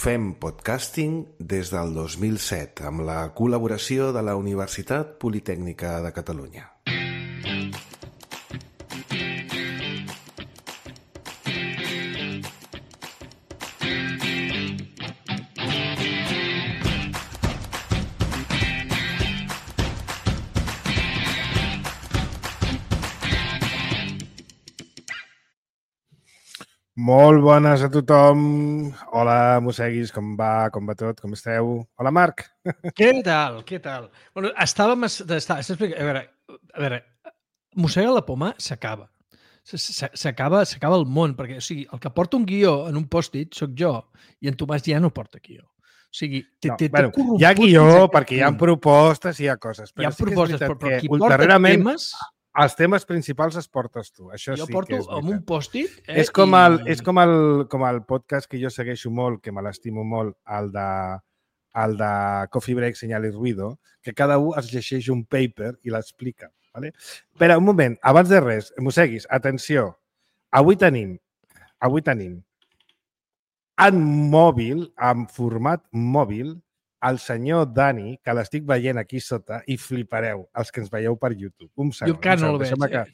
Fem podcasting des del 2007 amb la col·laboració de la Universitat Politècnica de Catalunya. Molt bones a tothom. Hola, mosseguis, com va tot? Com esteu? Hola, Marc. Què tal? Bueno, estàvem... A veure, mossegar la poma s'acaba. S'acaba el món, perquè o sigui, el que porta un guió en un pòst-it soc jo, i en Tomàs ja no porta guió. O sigui, hi ha guió perquè hi ha propostes i hi ha coses. Hi ha propostes, però qui porta temes... Els temes principals els portes tu. Això jo sí porto que és amb un pòst-it. És com el podcast que jo segueixo molt, que me l'estimo molt, el de Coffee Break, Senyal i Ruido, que cada un es llegeix un paper i l'explica. Vale? Espera, un moment, abans de res, mosseguis, atenció. Avui tenim en mòbil, en format mòbil, el senyor Dani, que l'estic veient aquí sota, i flipareu, els que ens veieu per YouTube. Un segon. Jo encara no el veig.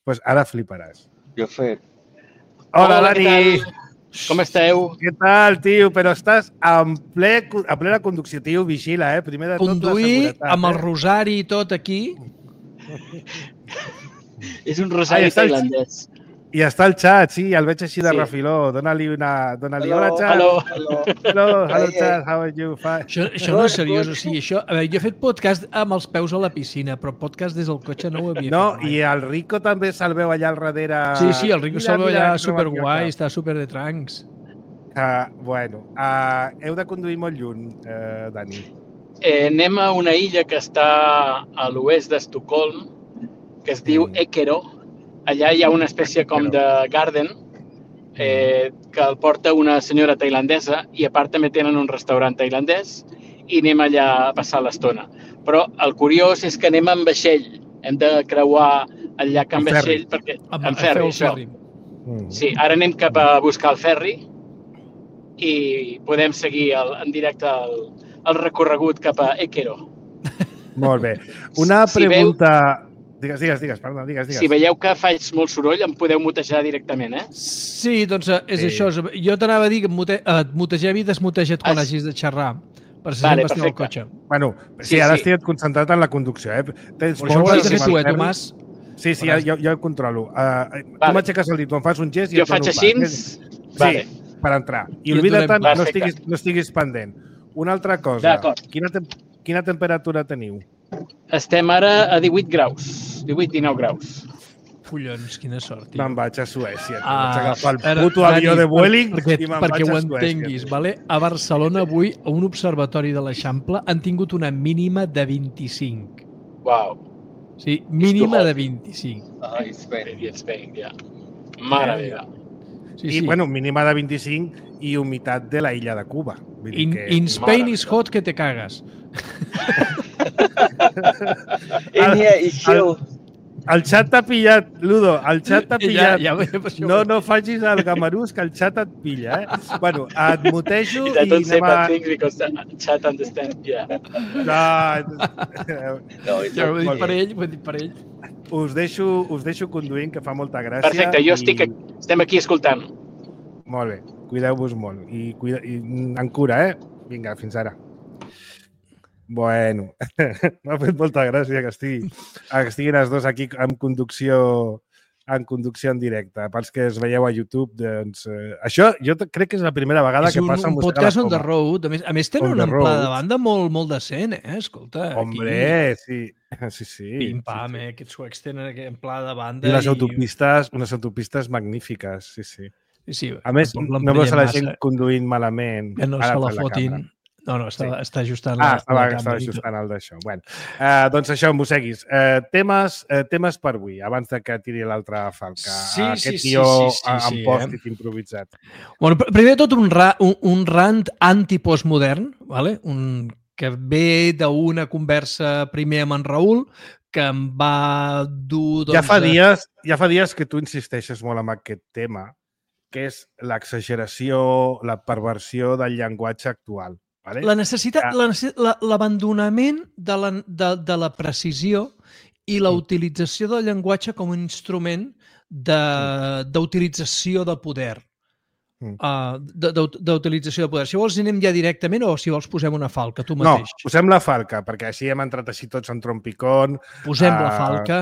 Pues ara fliparàs. Jo he fet. Hola, Dani! Com esteu? Què tal, tio? Però estàs a plena conducció, tio. Vigila, Primer de tot, conduir amb el rosari i tot aquí. És un rosari tailandès. I està al xat, sí, el veig així de refiló. Dóna-li hola, xat. Hello, xat, how are you? Això no és seriós, o sigui, això... A veure, jo he fet podcast amb els peus a la piscina, però podcast des del cotxe no ho havia fet. No, i el Rico també se'l veu allà al darrere. Sí, el Rico se'l veu allà superguai, està super de trancs. Bueno, heu de conduir molt lluny, Dani. Anem a una illa que està a l'oest d'Estocolm, que es diu Ekero. Allà hi ha una espècie com de garden que el porta una senyora tailandesa i a part també tenen un restaurant tailandès i anem allà a passar l'estona. Però el curiós és que anem amb vaixell. Hem de creuar el llac amb vaixell perquè... Amb ferri, això. Sí, ara anem cap a buscar el ferri i podem seguir en directe el recorregut cap a Ekero. Molt bé. Una pregunta... Digues, perdona, digues. Si veieu que faig molt soroll, em podeu mutejar directament, Sí, doncs és això. Jo t'anava a dir que et mutegem i desmuteja't quan hagis de xerrar. Per si sempre estic al cotxe. Bueno, sí, ara estic concentrat en la conducció, Però això ho has de fer tu, Tomàs? Sí, jo ho controlo. Tu m'aixeques el dit, em fas un gest i... Jo faig així? Sí, per entrar. I oblida't, no estiguis pendent. Una altra cosa. Quina temperatura teniu? Estem ara a 18 graus. 18-19 graus. Collons, quina sort, tio. Me'n vaig a Suècia. Vaig agafar el puto avió de Vueling i me'n vaig a Suècia. Perquè ho entenguis, vale? A Barcelona avui, a un observatori de l'Eixample, han tingut una mínima de 25. Uau. Sí, mínima de 25. Spain, ja. Mare meva. I, bueno, mínima de 25 i humitat de la illa de Cuba. In Spain is hot que te cagas. El xat t'ha pillat, Ludo, el xat t'ha pillat. No facis el gamarús, que el xat et pilla, Bueno, et mutejo i don't say bad things because the chat understand, yeah. No, ho he dit per ell. Us deixo conduint, que fa molta gràcia. Perfecte, estem aquí escoltant. Molt bé, cuideu-vos molt i en cura, Vinga, fins ara. Bueno, m'ha fet molta gràcia que estiguin els dos aquí en conducció en directe. Pels que es veieu a YouTube, doncs... Això jo crec que és la primera vegada que passa amb un podcast on the road. A més, tenen un amplada de banda molt decent, Escolta. Hombre, sí. Pim-pam, aquests suecs tenen aquest amplada de banda. I unes autopistes magnífiques, sí. A més, no veus a la gent conduint malament. Que no se la fotin. No, està ajustant la càmera. Estava ajustant el d'això. Bueno, doncs això, mosseguis. Temes per avui, abans que tiri l'altra falca. Aquest tio amb pòst-it improvisat. Bueno, primer de tot, un rant antipostmodern, ¿vale? Que ve d'una conversa primer amb en Raül, que em va dur... Ja fa dies que tu insisteixes molt en aquest tema, que és l'exageració, la perversió del llenguatge actual. Vale? La necessitat, l'abandonament de la precisió i la utilització del llenguatge com a instrument d'utilització de poder. D'utilització de poder. Si vols anem ja directament o si vols posem una falca, tu mateix. No, posem la falca, perquè així hem entrat així tots en trompicón. Posem la falca.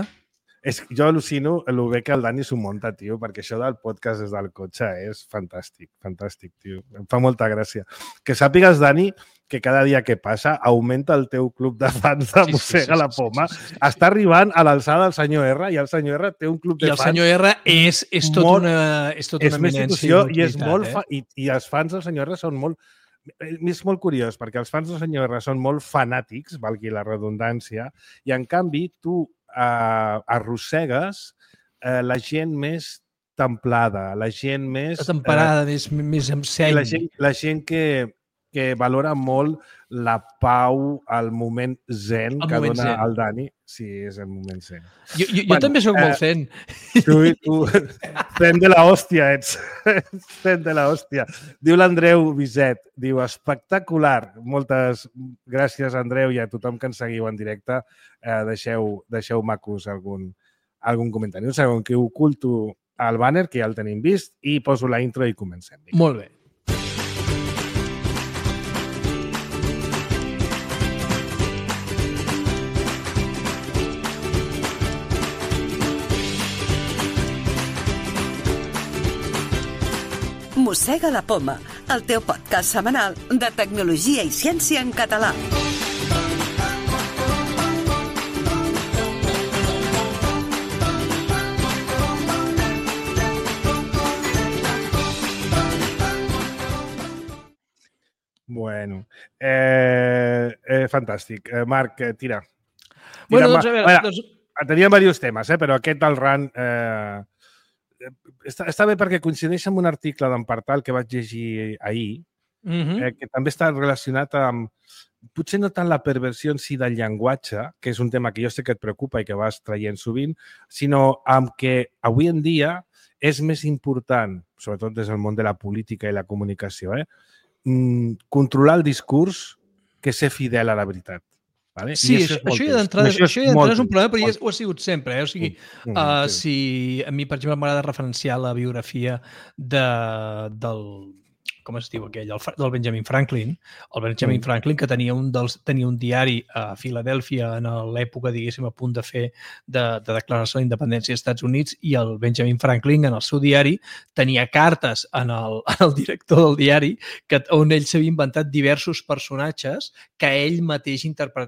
Jo al·lucino el bé que el Dani s'ho munta, tio, perquè això del podcast des del cotxe és fantàstic, fantàstic, tio. Em fa molta gràcia. Que sàpigues, Dani, que cada dia que passa augmenta el teu club de fans de Mossega la Poma. Està arribant a l'alçada del senyor R i el senyor R té un club de fans. I el senyor R és tota una eminència. I els fans del senyor R són molt... És molt curiós, perquè els fans del senyor R són molt fanàtics, valgui la redundància, i en canvi tu arrossegues la gent més templada, la gent més... Temperada, més amb seny. La gent que valora molt la pau, el moment zen que dona el Dani. Sí, és el moment zen. Jo també soc molt zen. Tu zen de la hòstia ets. Zen de la hòstia. Diu l'Andreu Biset, diu, espectacular. Moltes gràcies, Andreu, i a tothom que ens seguiu en directe. Deixeu macos algun comentari. Un segon, que oculto el banner, que ja el tenim vist, i poso la intro i comencem. Molt bé. Mossega la Poma, el teu podcast setmanal de tecnologia i ciència en català. Bueno, fantàstic. Marc, tira. Bueno, doncs a veure... Teníem diversos temes, però aquest del RAN... Està bé perquè coincideix amb un article d'en Partal que vaig llegir ahir, que també està relacionat amb, potser no tant la perversió en si del llenguatge, que és un tema que jo sé que et preocupa i que vas traient sovint, sinó amb que avui en dia és més important, sobretot des del món de la política i la comunicació, controlar el discurs que ser fidel a la veritat. Vale? Sí, això ja d'entrada és un problema, però ja ho ha sigut sempre. O sigui, si a mi, per exemple, m'agrada referenciar la biografia del com es diu aquell, del Benjamin Franklin. El Benjamin Franklin, que tenia un diari a Filadèlfia en l'època, diguéssim, a punt de fer de declaració d'independència dels Estats Units, i el Benjamin Franklin, en el seu diari, tenia cartes en el director del diari on ell s'havia inventat diversos personatges que ell mateix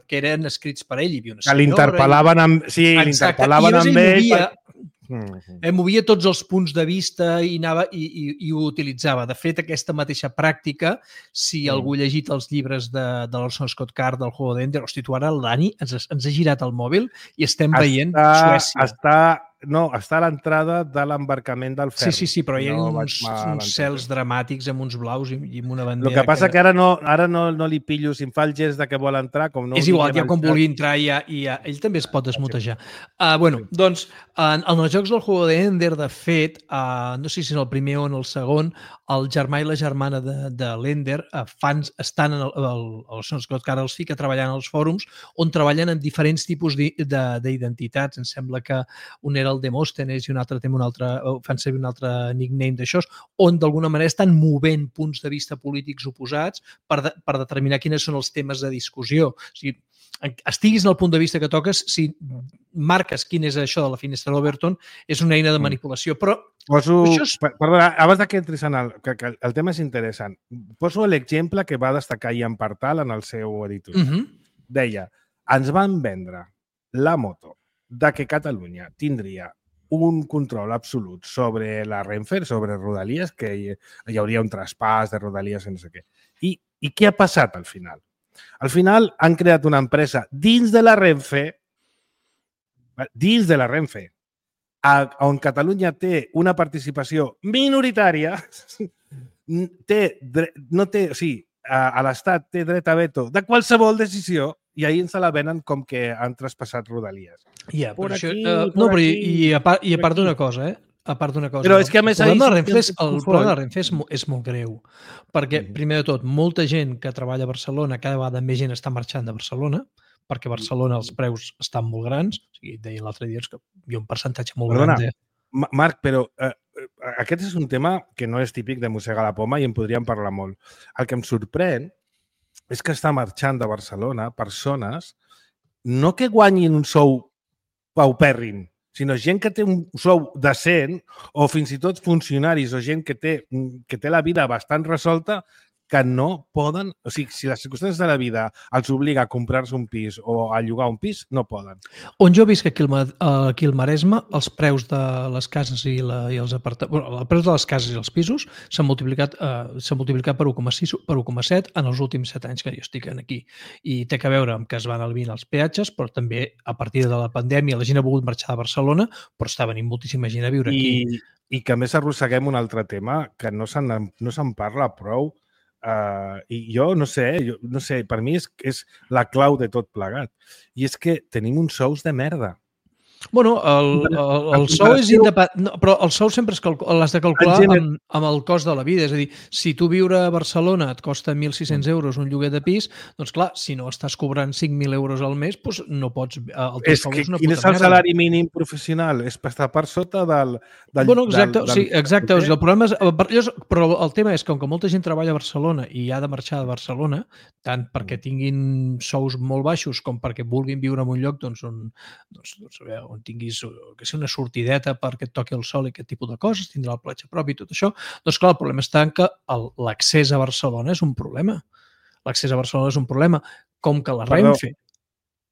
que eren escrits per ell. Que l'interpel·laven amb... Sí, l'interpel·laven amb ell... Movia tots els punts de vista i ho utilitzava. De fet, aquesta mateixa pràctica, si algú ha llegit els llibres de l'Orson Scott Card del Juego de Ender, hosti, tu ara el Dani ens ha girat el mòbil i estem veient Suècia. Està a l'entrada de l'embarcament del ferri. Sí, però hi ha uns cels dramàtics amb uns blaus i amb una bandera. El que passa que ara no li pillo, si em fa el gest de que vol entrar... És igual, ja com vulgui entrar, ell també es pot desmutejar. Doncs, en els jocs del Juego de Ender, de fet, no sé si és el primer o en el segon, el germà i la germana de l'Ender estan el Scott Card els fica treballant als fòrums on treballen en diferents tipus d'identitats. Em sembla que un era el Demòstenes i un altre fan servir un altre nickname d'això, on d'alguna manera estan movent punts de vista polítics oposats per determinar quins són els temes de discussió. O sigui, estiguis en el punt de vista que toques, si marques quin és això de la finestra d'Overton, és una eina de manipulació. Però Perdona, abans que entris en el tema és interessant. Poso l'exemple que va destacar Ian Partal en el seu editorial. Deia, ens van vendre la moto de que Catalunya tindria un control absolut sobre la Renfe, sobre Rodalies, que hi hauria un traspàs de Rodalies i no sé què. I què ha passat al final? Al final han creat una empresa dins de la Renfe, on Catalunya té una participació minoritària, a l'Estat té dret a veto de qualsevol decisió, i ahir ens la venen com que han traspassat Rodalies. I a part d'una cosa, a part d'una cosa. Però és que a més el problema de ahir la Renfe és molt greu, perquè, primer de tot, molta gent que treballa a Barcelona, cada vegada més gent està marxant de Barcelona, perquè a Barcelona els preus estan molt grans. O sigui, deia l'altre dia que hi ha un percentatge molt gran de... Marc, però aquest és un tema que no és típic de mossegar la poma i en podríem parlar molt. El que em sorprèn és que està marxant de Barcelona persones no que guanyin un sou paupèrrim, sinó gent que té un sou decent o fins i tot funcionaris o gent que té la vida bastant resolta que no poden... O sigui, si les circumstàncies de la vida els obliga a comprar-se un pis o a llogar un pis, no poden. On jo visc aquí al Maresme, els preus de les cases i els apartaments... Bueno, els preus de les cases i els pisos s'han multiplicat per 1,6, per 1,7 en els últims 7 anys que jo estic aquí. I té a veure amb que es van albint els peatges, però també a partir de la pandèmia la gent ha volgut marxar de Barcelona, però està venint moltíssima gent a viure aquí. I que a més arrosseguem un altre tema que no se'n parla prou. I jo no sé, per mi és la clau de tot plegat. I és que tenim uns sous de merda. Bueno, el sou és independent, però el sou sempre l'has de calcular amb el cost de la vida. És a dir, si tu viure a Barcelona et costa 1.600 euros un lloguer de pis, doncs clar, si no estàs cobrant 5.000 euros al mes, doncs no pots... És que quin és el salari mínim professional? És per estar per sota del... Bueno, exacte, sí, exacte. El problema és... Però el tema és que, com que molta gent treballa a Barcelona i ha de marxar de Barcelona, tant perquè tinguin sous molt baixos com perquè vulguin viure en un lloc on tinguis que ser una sortideta perquè et toqui el sol i aquest tipus de coses, tindrà la platja pròpia i tot això, doncs clar, el problema està en que l'accés a Barcelona és un problema. L'accés a Barcelona és un problema, com que la Renfe...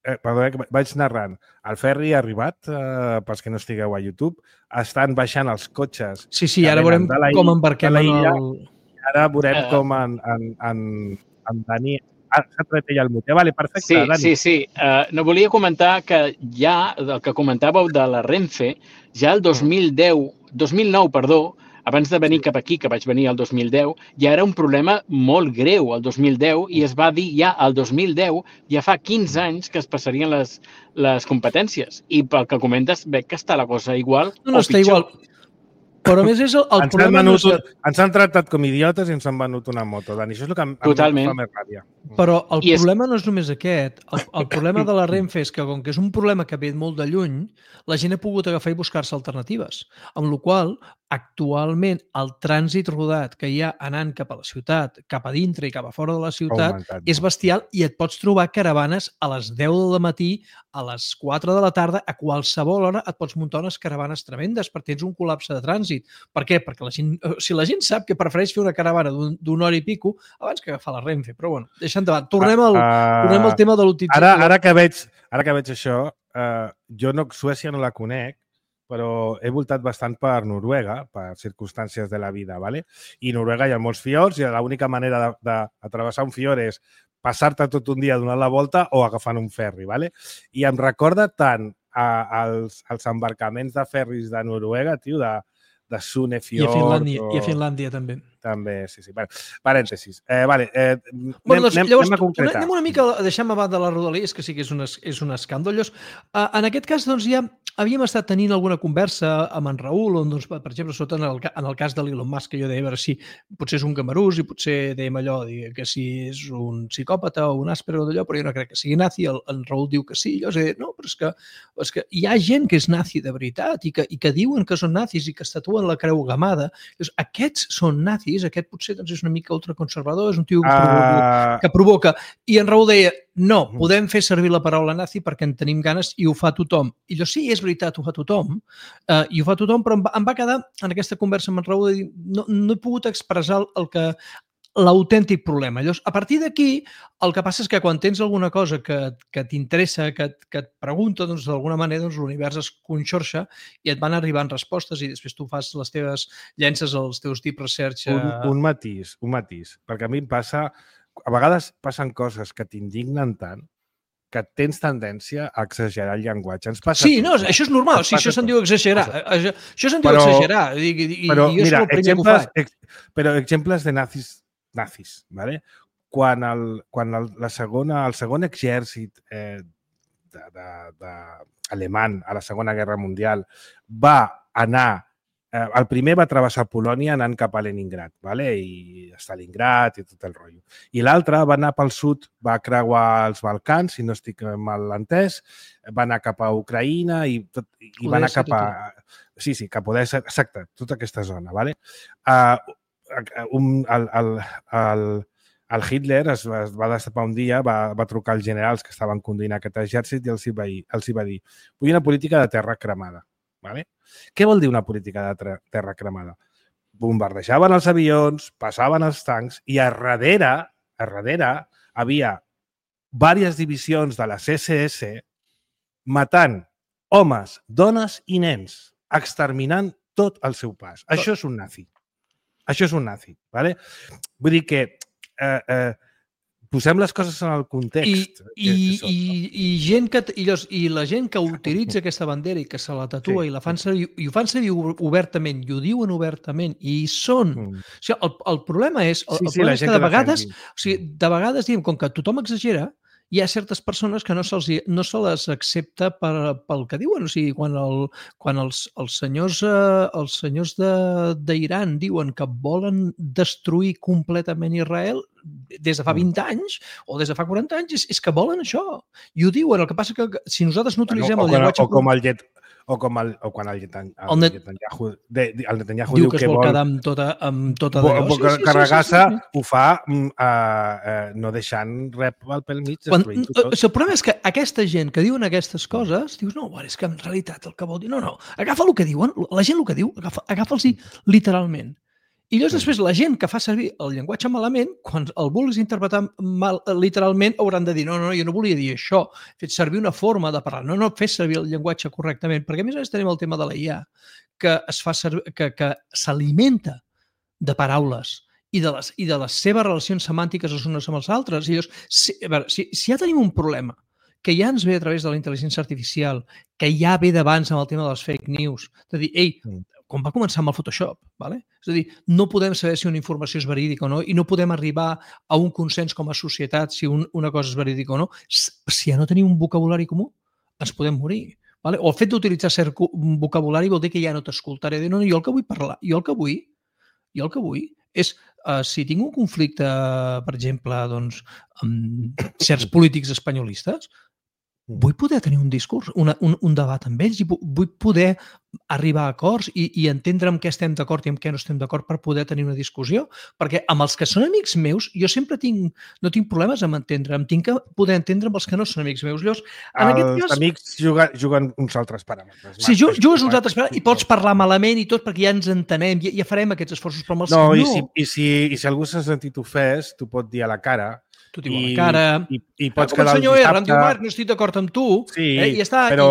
Perdó, que vaig narrant. El ferri ha arribat, pels que no estigueu a YouTube, estan baixant els cotxes. Sí, ara veurem com embarquem en el... Ara veurem com en Dani... s'ha tret ella el motiu. Vale, perfecte, Dani. Sí. No volia comentar que ja, el que comentàveu de la Renfe, ja el 2009, abans de venir cap aquí, que vaig venir el 2010, ja era un problema molt greu el 2010 i es va dir ja el 2010, ja fa 15 anys que es passarien les competències. I pel que comentes, veig que està la cosa igual o pitjor. Està igual. Però a més és el problema... Ens han tractat com idiotes i ens han venut una moto, Dani. Això és el que em fa més ràbia. Però el problema no és només aquest. El problema de la Renfe és que, com que és un problema que ve molt de lluny, la gent ha pogut agafar i buscar-se alternatives. Amb la qual cosa, actualment, el trànsit rodat que hi ha anant cap a la ciutat, cap a dintre i cap a fora de la ciutat, és bestial i et pots trobar caravanes a les 10 del matí, a les 4 de la tarda, a qualsevol hora et pots muntar unes caravanes tremendes perquè tens un col·lapse de trànsit. Per què? Perquè si la gent sap que prefereix fer una caravana d'una hora i pico abans que agafar la Renfe. Però bueno, deixant de banda. Tornem al tema de l'utilització. Ara que veig això, jo Suècia no la conec, però he voltat bastant per Noruega, per circumstàncies de la vida, ¿vale? I a Noruega hi ha molts fiords i l'única manera d'atravessar un fiord és passar-te tot un dia donant la volta o agafant un ferri, ¿vale? I em recorda tant als embarcaments de ferris de Noruega, tio, de Sunefjord. I a Finlàndia també. També, sí. Bueno, parèntesis. Anem a concretar. Anem una mica a deixar a banda de les rodalies, que sí que és un escàndol. En aquest cas, doncs, ja havíem estat tenint alguna conversa amb en Raül, on, doncs, per exemple, en el cas de l'Elon Musk, que jo deia, a veure si potser és un gamarús i potser dèiem allò, que si és un psicòpata o un àspero d'allò, però jo no crec que sigui nazi. En Raül diu que sí. Jo he dit, no, però és que hi ha gent que és nazi de veritat i que diuen que són nazis i que estatuen la creu gamada. Aquests són nazis. Aquest potser doncs, és una mica ultraconservador, és un tio que provoca. I en Raül deia, no, podem fer servir la paraula nazi perquè en tenim ganes i ho fa tothom. I jo, sí, és veritat, ho fa tothom, però em va quedar en aquesta conversa amb en Raül de dir, no he pogut expressar l'autèntic problema. Llavors, a partir d'aquí, el que passa és que quan tens alguna cosa que t'interessa, que et pregunta, doncs, d'alguna manera l'univers es conxorxa i et van arribant respostes i després tu fas les teves llences als teus deep research. Un matís, perquè a mi em passa... A vegades passen coses que t'indignen tant que tens tendència a exagerar el llenguatge. Sí, no, això és normal. Sí, això se'n diu exagerar. Això se'n diu exagerar. Però, mira, exemples de nazis, ¿vale? Quan el segon exèrcit alemany a la Segona Guerra Mundial va anar el primer va travessar Polònia anant cap a Leningrad, vale? I Stalingrad i tot el rotllo. I l'altre va anar pel sud, va creuar els Balcans, si no estic mal entès, va anar cap a Ucraïna i va anar cap a... Sí, cap a Odessa, exacte, tota aquesta zona, vale? El Hitler es va destapar un dia, va trucar als generals que estaven conduint aquest exèrcit i els hi va dir: vull una política de terra cremada. Vale? Què vol dir una política de terra cremada? Bombardejaven els avions, passaven els tancs i a darrere havia diverses divisions de les SS matant homes, dones i nens, exterminant tot el seu pas. Això és un nazi. Això és un nazi. Vale? Vull dir que posem les coses en el context. I la gent que utilitza aquesta bandera i que se la tatua i la fan servir, i ho fan servir obertament, i ho diuen obertament, i hi són. O sigui, el problema és, és que de vegades diem, com que tothom exagera, hi ha certes persones que no se les accepta pel que diuen. O sigui, quan els senyors d'Iran diuen que volen destruir completament Israel, des de fa 20 anys o des de fa 40 anys, és que volen això. I ho diuen. El que passa que si nosaltres no utilitzem el llenguatge... O quan el Netanyahu diu que es vol quedar amb tota d'allò. Carregar-se ho fa no deixant res pel mig, destruint-ho tot. El problema és que aquesta gent que diuen aquestes coses, dius, no, és que en realitat el que vol dir... No, agafa el que diuen, la gent el que diu, agafa'ls-hi literalment. I llavors després la gent que fa servir el llenguatge malament, quan el vulguis interpretar mal, literalment, hauran de dir no, jo no volia dir això, he fet servir una forma de parlar, no fes servir el llenguatge correctament, perquè a més tenim el tema de la IA, que s'alimenta de paraules i de les seves relacions semàntiques les unes amb els altres. I llavors, si ja tenim un problema que ja ens ve a través de la intel·ligència artificial, que ja ve d'abans amb el tema de les fake news, de dir, quan va començar amb el Photoshop, vale? És a dir, no podem saber si una informació és verídica o no i no podem arribar a un consens com a societat si una cosa és verídica o no. Si ja no tenim un vocabulari comú, ens podem morir. Vale? O el fet d'utilitzar cert vocabulari vol dir que ja no t'escoltaré. No, jo el que vull parlar, jo el que vull és, si tinc un conflicte, per exemple, doncs, amb certs polítics espanyolistes, vull poder tenir un discurs, un debat amb ells, i vull poder arribar a acords i entendre amb què estem d'acord i amb què no estem d'acord per poder tenir una discussió. Perquè amb els que són amics meus, jo sempre no tinc problemes amb entendre, tinc que poder entendre amb els que no són amics meus. Llavors, els amics juguen uns altres paràmetres. Sí, jugues uns altres paràmetres i pots parlar malament i tot perquè ja ens entenem, ja farem aquests esforços, però amb els que no. I si algú s'ha sentit ofès, t'ho pot dir a la cara. Tu diu a la cara, i pots com el senyor R, em diu, Marc, no estic d'acord amb tu. Sí, però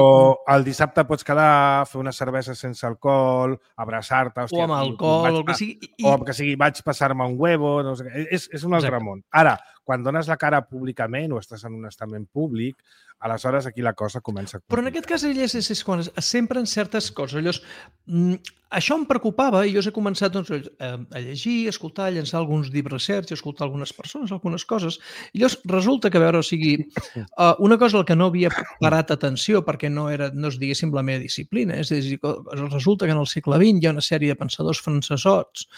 el dissabte pots quedar, fer una cervesa sense alcohol, abraçar-te... O amb alcohol, o que sigui. O que sigui, vaig passar-me un huevo, no sé què. És un altre món. Ara, quan dones la cara públicament o estàs en un estament públic, aleshores aquí la cosa comença a complicar. Però en aquest cas és quan sempre en certes coses. Llavors, això em preocupava i jo he començat a llegir, a escoltar, a llançar alguns deep research, a escoltar algunes persones, algunes coses. I llavors resulta que, a veure, o sigui, una cosa al que no havia parat atenció perquè no és, diguéssim, la meva disciplina. És a dir, resulta que en el segle XX hi ha una sèrie de pensadors francesots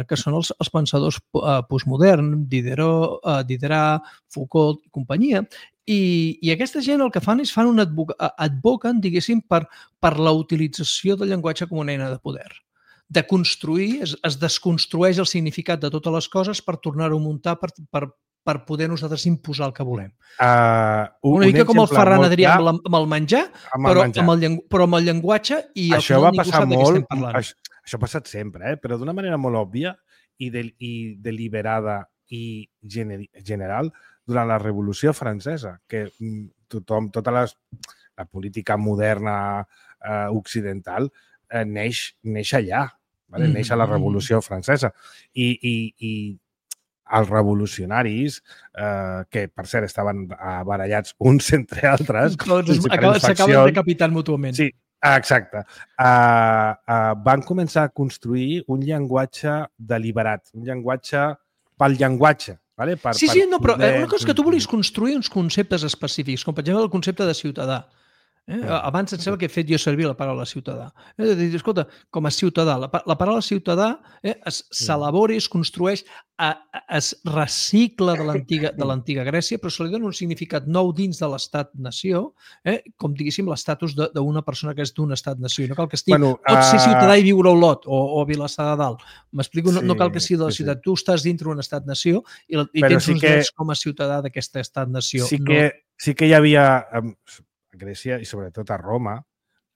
que són els pensadors postmoderns, Diderot, Foucault i companyia. I aquesta gent el que fan és advoquen, diguéssim, per la utilització del llenguatge com una eina de poder. De construir, es desconstrueix el significat de totes les coses per tornar-ho a muntar per poder nosaltres imposar el que volem. Una mica com el Ferran Adrià amb el menjar, però amb el llenguatge i al final ningú sap de què estem parlant. Això ha passat sempre, però d'una manera molt òbvia i deliberada i general durant la Revolució Francesa, que tota la política moderna occidental neix allà, neix a la Revolució Francesa. I els revolucionaris, que per cert estaven barallats uns entre altres... S'acaben decapitant mútuament. Sí, exacte. Van començar a construir un llenguatge deliberat, un llenguatge pel llenguatge. Vale? Sí, no, però una cosa és que tu volis construir uns conceptes específics, com per exemple el concepte de ciutadà. Abans em sembla que he fet jo servir la paraula ciutadà. Escolta, com a ciutadà, la paraula ciutadà s'elabora i es construeix, es recicla de l'antiga Grècia, però se li dona un significat nou dins de l'estat-nació, com diguéssim l'estatus d'una persona que és d'un estat-nació. No cal que estigui, pot ser ciutadà i viure a Olot o a Vilassar de Dalt. M'explico? No cal que sigui de la ciutat. Tu estàs dintre d'un estat-nació i tens uns drets com a ciutadà d'aquesta estat-nació. Sí que hi havia... a Grècia i sobretot a Roma,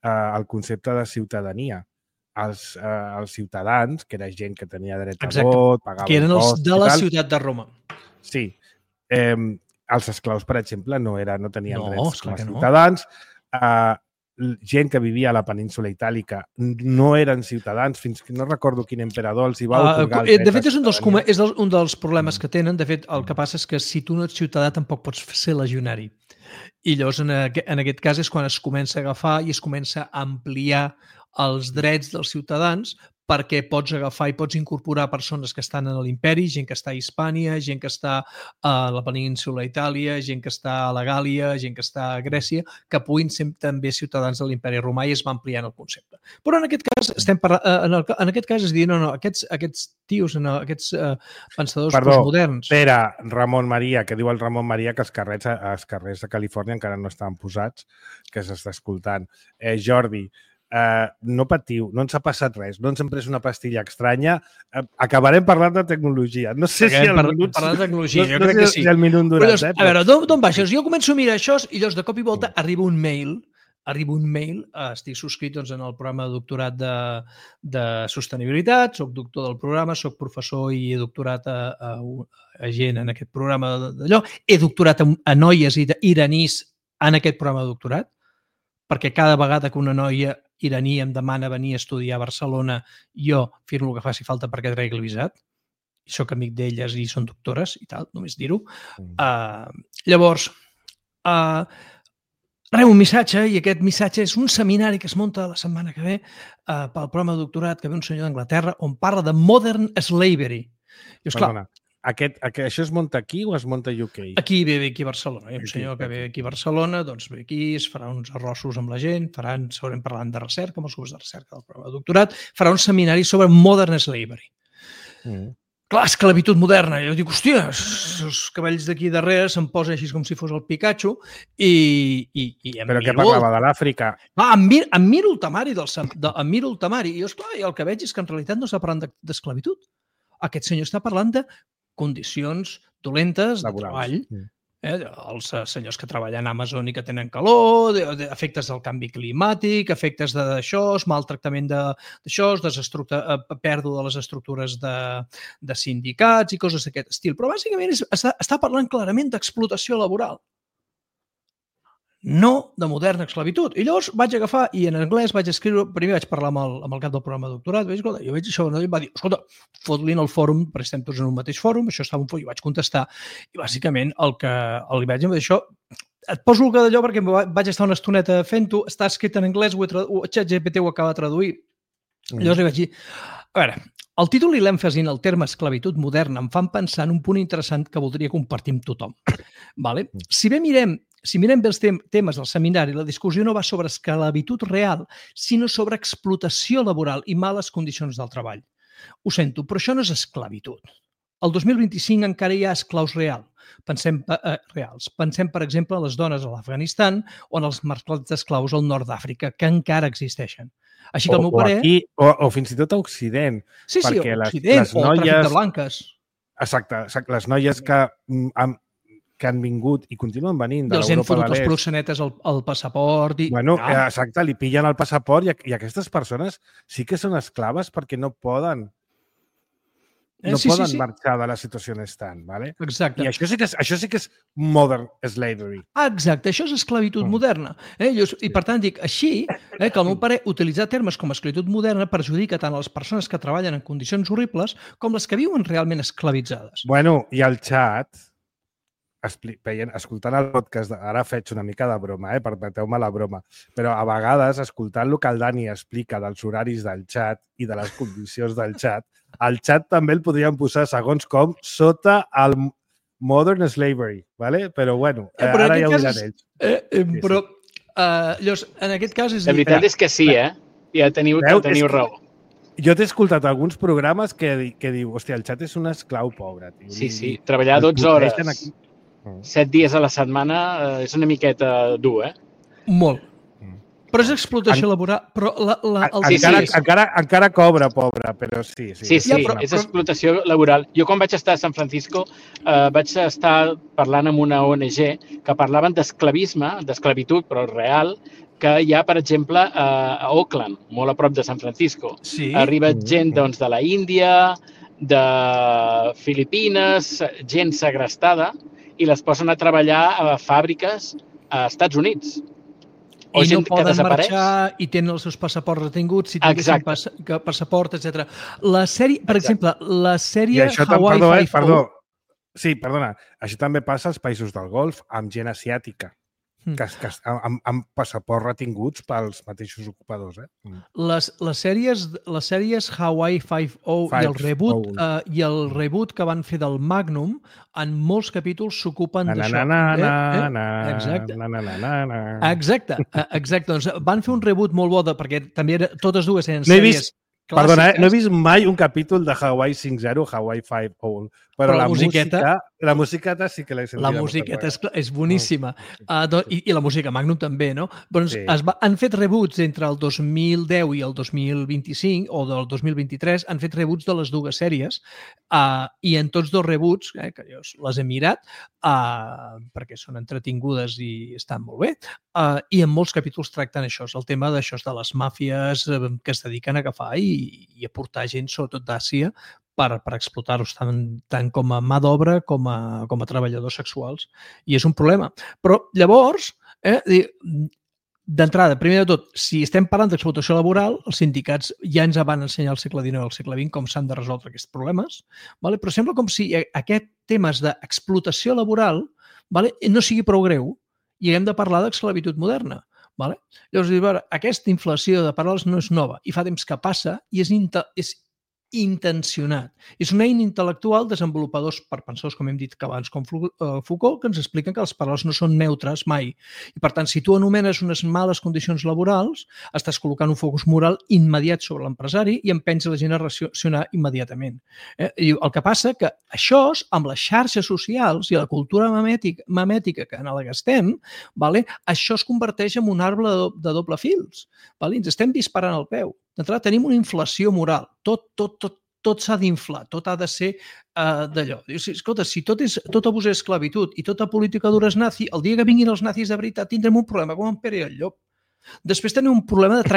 el concepte de ciutadania. Els ciutadans, que era gent que tenia dret a vot, pagava impostos... Que eren els de la ciutat de Roma. Sí. Els esclaus, per exemple, no tenien drets com a ciutadans. Gent que vivia a la península itàlica no eren ciutadans, fins que no recordo quin emperador els hi va otorgar el dret. De fet, és un dels problemes que tenen. De fet, el que passa és que si tu no ets ciutadà tampoc pots ser legionari. I llavors, en aquest cas, és quan es comença a agafar i es comença a ampliar els drets dels ciutadans perquè pots agafar i pots incorporar persones que estan a l'imperi, gent que està a Hispània, gent que està a la península Itàlia, gent que està a la Gàlia, gent que està a Grècia, que puguin ser també ciutadans de l'imperi romà i es va ampliant el concepte. Però en aquest cas, en aquest cas és dir, no, aquests tios, aquests pensadors postmoderns... Pere, Ramon Maria, que diu el Ramon Maria que els carrers de Califòrnia encara no estan posats, que s'està escoltant. Jordi, no patiu, no ens ha passat res, no ens hem pres una pastilla estranya, acabarem parlant de tecnologia. No sé si el minut... Parlant de tecnologia, jo crec que sí. Si el minut durat, a veure, d'on baixes? Jo començo a mirar això i llavors de cop i volta arriba un mail, estic subscrit en el programa de doctorat de sostenibilitat, soc doctor del programa, soc professor i he doctorat a gent en aquest programa d'allò, he doctorat a noies iranís en aquest programa de doctorat, perquè cada vegada que una noia iraní em demana venir a estudiar a Barcelona, jo firmo el que faci falta perquè tregui el visat. I soc amic d'elles i són doctores i tal, només dir-ho. Llavors, rebo un missatge i aquest missatge és un seminari que es munta la setmana que ve pel programa de doctorat que ve un senyor d'Anglaterra on parla de Modern Slavery. I, esclar, això es munta aquí o es munta a UK? Aquí ve aquí a Barcelona. Hi ha un senyor que ve aquí a Barcelona, doncs ve aquí, es farà uns arrossos amb la gent, segurament parlant de recerca, amb els grups de recerca del programa de doctorat, farà un seminari sobre Modern Slavery. Clar, esclavitud moderna. Jo dic, hòstia, els cabells d'aquí darrere se'm posen així com si fos el Pikachu i Però què parlava, de l'Àfrica? Em miro el temari i jo, esclar, el que veig és que en realitat no està parlant d'esclavitud. Aquest senyor està parlant de condicions dolentes de treball, els senyors que treballen a Amazon i que tenen calor, efectes del canvi climàtic, efectes d'això, maltractament d'això, pèrdua de les estructures de sindicats i coses d'aquest estil. Però bàsicament està parlant clarament d'explotació laboral, no de moderna esclavitud. I llavors vaig agafar i en anglès vaig escriure, primer vaig parlar amb el cap del programa de doctorat, jo veig això, i va dir, escolta, fot-li en el fòrum, perquè estem tots en un mateix fòrum, això estava un fòrum, i vaig contestar. I bàsicament el que li vaig dir això, et poso el que d'allò perquè vaig estar una estoneta fent-ho, està escrit en anglès, ChatGPT ho acaba de traduir. Llavors li vaig dir, a veure, el títol i l'èmfasi en el terme esclavitud moderna em fan pensar en un punt interessant que voldria compartir amb tothom. Si mirem bé els temes del seminari, la discussió no va sobre esclavitud real, sinó sobre explotació laboral i males condicions del treball. Ho sento, però això no és esclavitud. El 2025 encara hi ha esclaus reals. Pensem, per exemple, en les dones a l'Afganistan o en els mercats d'esclaus al nord d'Àfrica, que encara existeixen. Així que el meu parer... O fins i tot a Occident. Sí, a Occident, o tràfic de blanques. Exacte, les noies que han vingut i continuen venint de l'Europa de l'Est. I els han fotut els proxenetes al passaport. Exacte, li pillen el passaport i aquestes persones sí que són esclaves perquè no poden marxar de la situació on estan. Exacte. I això sí que és modern slavery. Exacte, això és esclavitud moderna. I per tant dic, així, que al meu parer utilitzar termes com esclavitud moderna perjudica tant a les persones que treballen en condicions horribles com les que viuen realment esclavitzades. Bueno, i al xat... escoltant el podcast, ara faig una mica de broma, permeteu-me la broma, però a vegades, escoltant el que el Dani explica dels horaris del xat i de les condicions del xat, el xat també el podríem posar, segons com, sota el modern slavery, ¿vale? Però bueno, ara ja ho diran ells. Però Llavors, en aquest cas és... La veritat és que sí, Ja teniu raó. Jo t'he escoltat alguns programes que diu, hòstia, el xat és un esclau pobre. Tio. Sí. Treballar 12 hores, 7 dies a la setmana és una miqueta dur, Molt. Però és explotació laboral. Però encara cobra, pobre, però sí. Sí, és explotació laboral. Jo quan vaig estar a San Francisco vaig estar parlant amb una ONG que parlaven d'esclavitud, però real, que hi ha, per exemple, a Oakland, molt a prop de San Francisco. Sí. Arriba gent doncs, de la Índia, de Filipines, gent segrestada, i les posen a treballar a fàbriques a Estats Units. I no poden marxar i tenen els seus passaports retinguts, si tinguessin passaport, etc. La sèrie, per exemple, la sèrie Hawaii Five-O... Sí, perdona. Això també passa als països del Golf, amb gent asiàtica, amb passaports retinguts pels mateixos ocupadors. Les sèries Hawaii Five-O i el reboot que van fer del Magnum, en molts capítols s'ocupen d'això. Exacte. Doncs van fer un reboot molt bo, perquè també totes dues eren sèries... Perdona, no he vist mai un capítol de Hawaii 5.0, Hawaii 5.0 però la musiqueta sí que l'he sentit. La musiqueta és boníssima. I la música Magnum també, no? Doncs han fet reboots entre el 2010 i el 2025, o del 2023, han fet reboots de les dues sèries, i en tots dos reboots, que jo les he mirat, perquè són entretingudes i estan molt bé, i en molts capítols tracten això, el tema d'això de les màfies que es dediquen a agafar i a portar gent, sobretot d'Àsia, per explotar-los tant com a mà d'obra com a treballadors sexuals. I és un problema. Però llavors, d'entrada, primer de tot, si estem parlant d'explotació laboral, els sindicats ja ens van ensenyar al segle XIX i al segle XX com s'han de resoldre aquests problemes, però sembla com si aquest temes d'explotació laboral no sigui prou greu i haguem de parlar d'esclavitud moderna. Llavors, aquesta inflació de paraules no és nova i fa temps que passa i és intencionat. És una eina intel·lectual desenvolupadors per pensadors, com hem dit abans, com Foucault, que ens expliquen que les paraules no són neutres mai. I, per tant, si tu anomenes unes males condicions laborals, estàs col·locant un focus moral immediat sobre l'empresari i empens la gent a reaccionar immediatament. I el que passa que això, amb les xarxes socials i la cultura memètica que en la que estem, això es converteix en un arbre de doble fils. Ens estem disparant al peu. D'entrada, tenim una inflació moral. Tot s'ha d'inflar, tot ha de ser d'allò. Escolta, si tot abús és esclavitud i tota política dura és nazi, el dia que vinguin els nazis de veritat tindrem un problema com en Pere i el Llop. Després tenim un problema de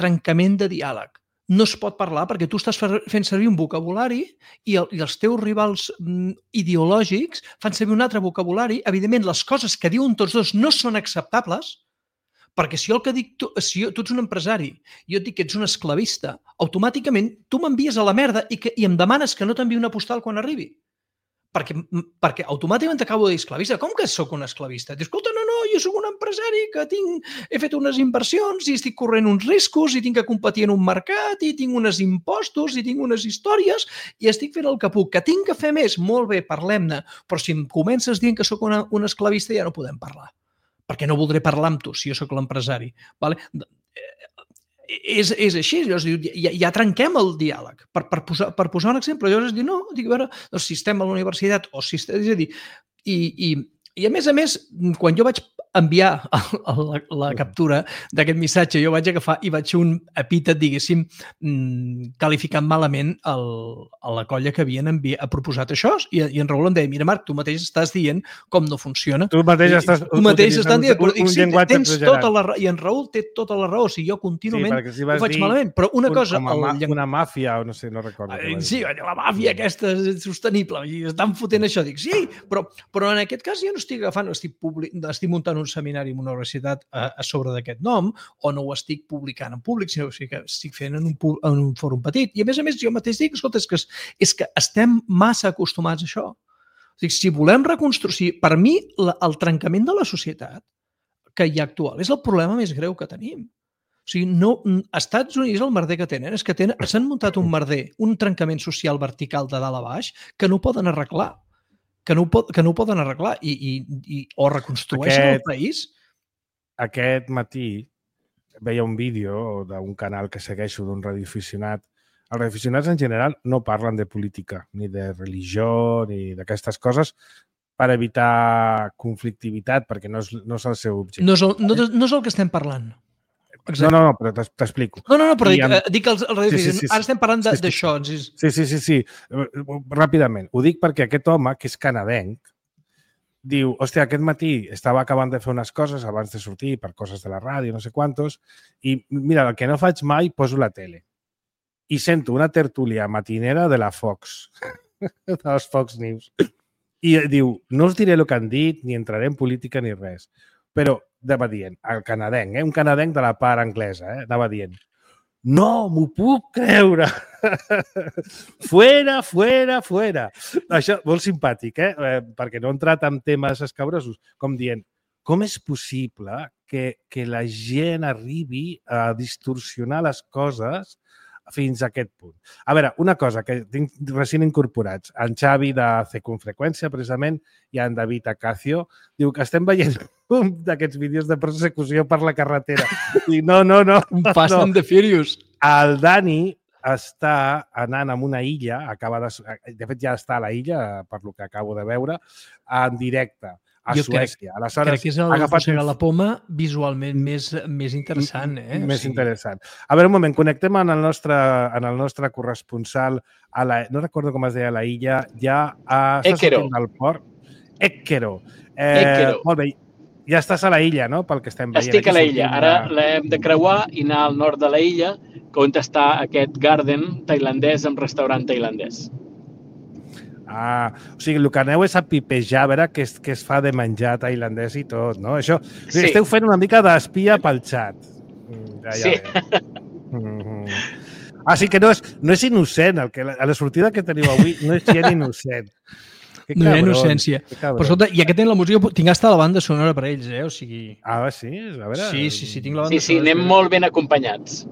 trencament de diàleg. No es pot parlar perquè tu estàs fent servir un vocabulari i els teus rivals ideològics fan servir un altre vocabulari. Evidentment, les coses que diuen tots dos no són acceptables, perquè si jo el que dic, si tu ets un empresari i jo et dic que ets un esclavista, automàticament tu m'envies a la merda i em demanes que no t'enviï una postal quan arribi. Perquè automàticament t'acabo de dir esclavista. Com que sóc un esclavista? Dius, escolta, no, jo sóc un empresari que he fet unes inversions i estic corrent uns riscos i tinc que competir en un mercat i tinc uns impostos i tinc unes històries i estic fent el que puc. Que tinc que fer més? Molt bé, parlem-ne. Però si em comences dient que sóc un esclavista ja no podem parlar. Perquè no voldré parlar amb tu si jo sóc l'empresari. És així, ja trenquem el diàleg. Per posar un exemple, llavors dic, no, a veure, si estem a la universitat o si estem... És a dir, i a més, quan jo vaig enviar la captura d'aquest missatge, jo vaig agafar i vaig fer un epítet, diguéssim, qualificant malament a la colla que havien proposat això, i en Raül em deia, mira Marc, tu mateix estàs dient com no funciona. Tu mateix estàs dient, un llenguatge exagerat. I en Raül té tota la raó, si jo contínuament ho faig malament, però una cosa... Una màfia, o no sé, no recordo. Sí, la màfia aquesta és sostenible, i estan fotent això, dic, sí, però en aquest cas jo no estic agafant, estic muntant un seminari en una universitat a sobre d'aquest nom, o no ho estic publicant en públic, sinó que estic fent en un fòrum petit. I a més jo mateix dic, escolta, és que estem massa acostumats a això. Si volem reconstruir... Per mi, el trencament de la societat que hi ha actual és el problema més greu que tenim. O sigui, als Estats Units el merder que tenen és que s'han muntat un merder, un trencament social vertical de dalt a baix que no poden arreglar. Que no ho poden arreglar o reconstrueixen el país. aquest matí veia un vídeo d'un canal que segueixo d'un radioaficionat. Els radioaficionats en general no parlen de política, ni de religió, ni d'aquestes coses, per evitar conflictivitat, perquè no és el seu objectiu. No és el que estem parlant. Exacte. No, però t'explico. No, però dic que els radioaficionats... Sí. Ara estem parlant d'això. Sí. Ràpidament. Ho dic perquè aquest home, que és canadenc, diu, hòstia, aquest matí estava acabant de fer unes coses abans de sortir per coses de la ràdio, no sé quantos, i mira, el que no faig mai, poso la tele. I sento una tertúlia matinera de la Fox, de les Fox News. I diu, no us diré el que han dit, ni entraré en política ni res, però anava dient, el canadenc, un canadenc de la part anglesa, anava dient, no m'ho puc creure! Fuera! Això, molt simpàtic, perquè no he entrat en temes escabrosos, com dient, com és possible que la gent arribi a distorsionar les coses fins a aquest punt? A veure, una cosa que tinc recent incorporats, en Xavi de Circunfreqüència, precisament, i en David Acacio, diu que estem veient un d'aquests vídeos de persecució per la carretera. I no. Un Fast and the Furious. El Dani està anant a una illa, de fet ja està a la illa, per lo que acabo de veure, en directe a Suècia. Crec que és el Mossega la Poma visualment més interessant. Més interessant. A veure, un moment, connectem en el nostre corresponsal, no recordo com es deia la illa, ja està sortint del port. Équero. Molt bé, ja estàs a la illa, no?, pel que estem veient. Estic a la illa. Ara l'hem de creuar i anar al nord de la illa, on està aquest garden tailandès amb restaurant tailandès. O sigui, el que aneu és a pipejar, a veure què es fa de menjar tailandès i tot, no? Això, sí. Esteu fent una mica d'espia pel xat. Sí. Sí que no és innocent. A la sortida que teniu avui no és gent innocent. No hi ha innocència. Però escolta, ja que tenen la música, tinc hasta la banda sonora per ells, o sigui... Sí? A veure... Sí, tinc la banda sonora. Sí, anem molt ben acompanyats.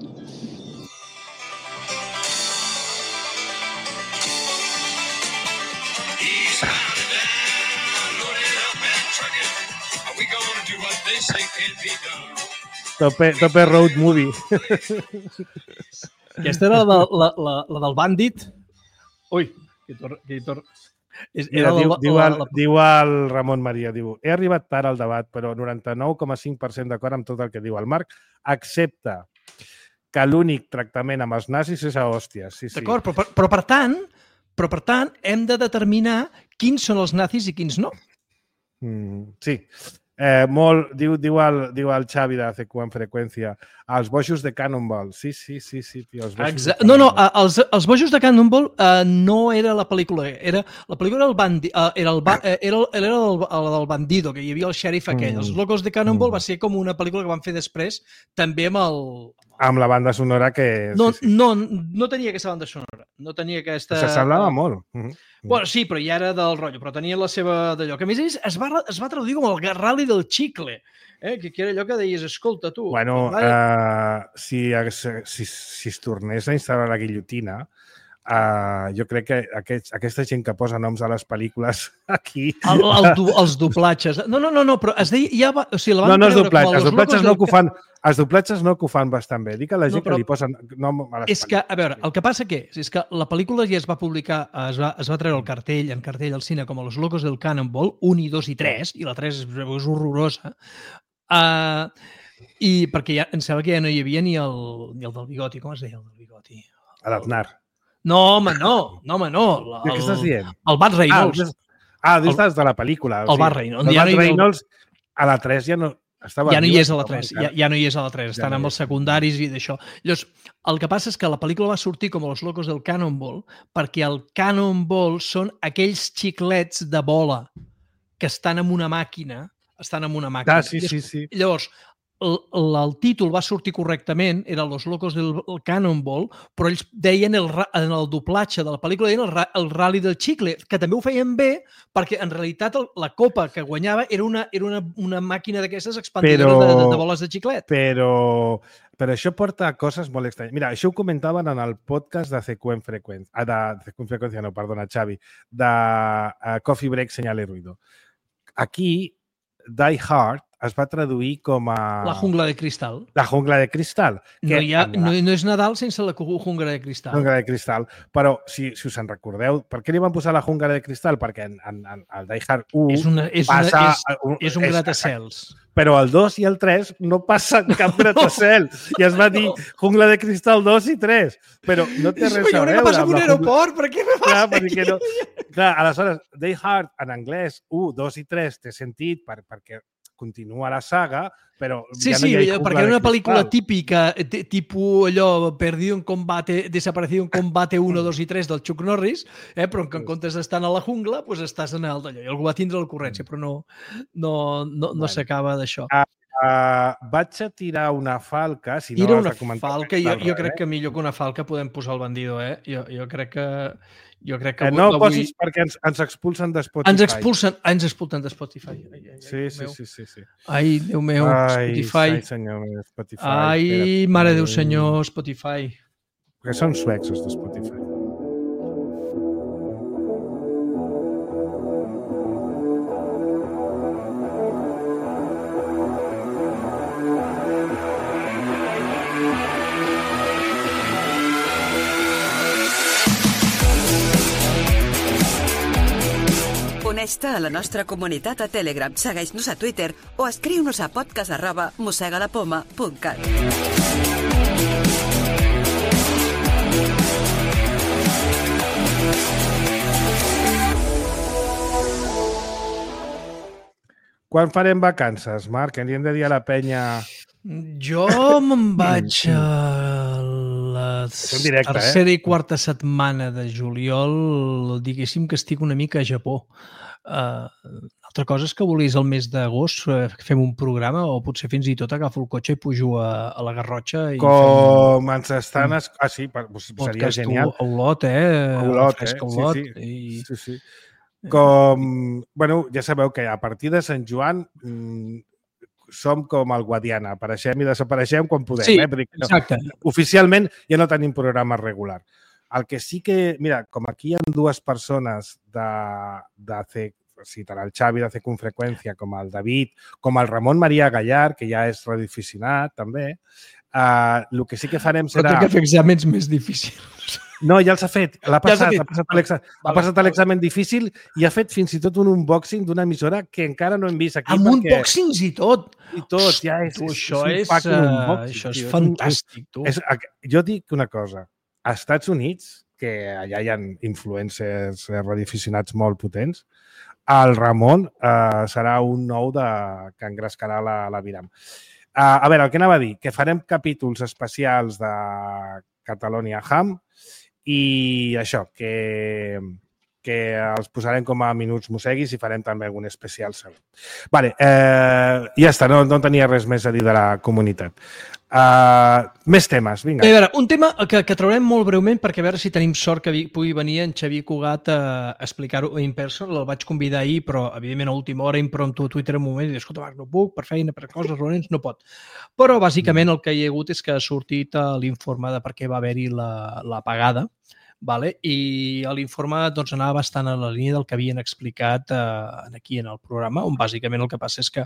Tope road movie. Aquesta era la del Bandit. Ui, que hi torna. Diu el Ramon Maria, diu, he arribat tard al debat, però 99,5% d'acord amb tot el que diu el Marc, excepte que l'únic tractament amb els nazis és a hòsties. Sí. D'acord, però per tant, hem de determinar quins són els nazis i quins no. Sí. Diu el Xavi de Circunfreqüència, els bojos de Cannonball. Sí, tio. No, els bojos de Cannonball no era la pel·lícula. La pel·lícula era el del bandido, que hi havia el xèrif aquell. Els locos de Cannonball va ser com una pel·lícula que van fer després, també amb el... Amb la banda sonora que... No tenia aquesta banda sonora. No tenia aquesta... S'assemblava molt. Bueno, sí, però ja era del rotllo, però tenia la seva d'allò. Que a més es va traduir com el Rally del Chicle, que era allò que deies, escolta, tu... Bueno, si es tornés a instal·lar la guillotina, jo crec que aquesta gent que posa noms a les pel·lícules aquí... Els doblatges. No, però es deia... No, els doblatges no que ho fan bastant bé. Dic a la gent que li posen nom a les pel·lícules. És que, a veure, el que passa és que la pel·lícula ja es va publicar, es va treure el cartell al cine com a Los Locos del Cannonball, 1, 2 i 3, i la 3 és horrorosa, i perquè em sembla que ja no hi havia ni el del bigoti. Com es deia el del bigoti? L'Aznar. No, home, no. Què estàs dient? El Burt Reynolds. Dius de la pel·lícula. El Burt Reynolds. El Burt Reynolds a la 3 ja no... Ja no hi és a la 3, ja no hi és a la 3, estan amb els secundaris i d'això. Llavors, el que passa és que la pel·lícula va sortir com a Los Locos del Cannonball perquè el Cannonball són aquells xiclets de bola que estan en una màquina. Sí. Llavors, el títol va sortir correctament, era Los Locos del Cannonball, però ells deien en el doblatge de la pel·lícula el Rally del Chicle, que també ho feien bé perquè en realitat la copa que guanyava era una màquina d'aquestes expandidores de boles de xiclet. Però això porta a coses molt estranyes. Mira, això ho comentaven en el podcast de Circunfreqüència, Xavi, de Coffee Break, Señal y Ruido. Aquí, Die Hard es va traduir com a... La jungla de cristal. La jungla de cristal. No és Nadal sense la jungla de cristal. Jungla de cristal. Però, si us en recordeu, per què li van posar la jungla de cristal? Perquè en el Die Hard 1 és un gratacels. Però el 2 i el 3 no passen cap gratacel. I es va dir jungla de cristal 2 i 3. Però no té res a veure. Jo crec que passa en un aeroport, per què me passa aquí? Clar, aleshores, Die Hard en anglès 1, 2 i 3 té sentit perquè continua la saga, però ja no hi ha perquè era una pel·lícula típica, tipus allò, perdido en combate, desaparecido en combate 1, 2 i 3 del Chuck Norris, però que en comptes d'estar a la jungla, doncs estàs en el d'allò. I algú va tindre l'ocurrència, però no s'acaba d'això. Vaig a tirar una falca, si no Tira has una de comentar. falca, jo crec que millor que una falca podem posar el bandido, Jo crec que no ho posis perquè ens expulsen de Spotify. Ens expulsen de Spotify. Sí. Ai, Déu meu, Spotify. Ai, senyor, Spotify. Ai, mare Déu, senyor, Spotify. Perquè són suecs, els de Spotify. Uneix-te a la nostra comunitat a Telegram, segueix-nos a Twitter o escriu-nos a podcast@mossegalapoma.cat. Quan farem vacances, Marc? Què li hem de dir a la penya? Jo me'n vaig a la tercera i quarta setmana de juliol, diguéssim que estic una mica a Japó. Altra cosa és que volis el mes d'agost fem un programa o potser fins i tot agafo el cotxe i pujo a la Garrotxa. Com ens estan... sí, seria genial. A Olot, Olot, sí. Com... Bueno, ja sabeu que a partir de Sant Joan som com el Guadiana, apareixem i desapareixem quan podem. Sí, exacte. Oficialment ja no tenim programa regular. El que sí que, mira, com aquí hi ha dues persones tant el Xavi de C con Frecuencia com el David, com el Ramon Maria Gallar, que ja és radioaficionat també, el que sí que farem serà... Però té que fer exàmens més difícils. No, ja els ha fet. Ha passat l'examen difícil i ha fet fins i tot un unboxing d'una emissora que encara no hem vist aquí. Amb unboxings i tot! I tot, ja és... Això és fantàstic, tu. Jo dic una cosa. Als Estats Units, que allà hi ha influencers radioaficionats molt potents, el Ramon serà un nou que engrescarà la Viram. A veure, el que anava a dir, que farem capítols especials de Catalonia Ham i això, que els posarem com a minuts mosseguis i farem també algun especial segur. Vale, ja està, no tenia res més a dir de la comunitat. Més temes, vinga. A veure, un tema que traurem molt breument perquè a veure si tenim sort que pugui venir en Xavier Cugat a explicar-ho in person. El vaig convidar ahir, però evidentment a última hora impromptu a Twitter un moment i dic, escolta, Marc, no puc, per feina, per coses, reunions, no pot. Però bàsicament el que hi ha hagut és que ha sortit l'informe de per què va haver-hi l'apagada. I l'informe anava bastant a la línia del que havien explicat aquí en el programa, on bàsicament el que passa és que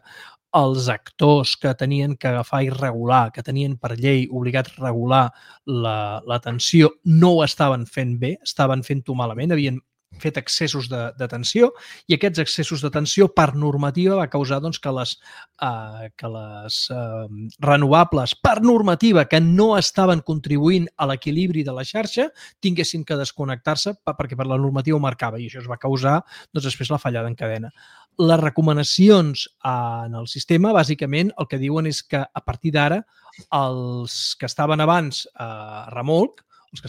els actors que tenien que agafar i regular, que tenien per llei obligat a regular l'atenció, no ho estaven fent bé, estaven fent-ho malament, havien fet excessos de tensió i aquests excessos de tensió per normativa va causar que les renovables per normativa que no estaven contribuint a l'equilibri de la xarxa tinguessin que desconnectar-se perquè per la normativa ho marcava i això es va causar després la fallada en cadena. Les recomanacions en el sistema bàsicament el que diuen és que a partir d'ara els que estaven abans a remolc, doncs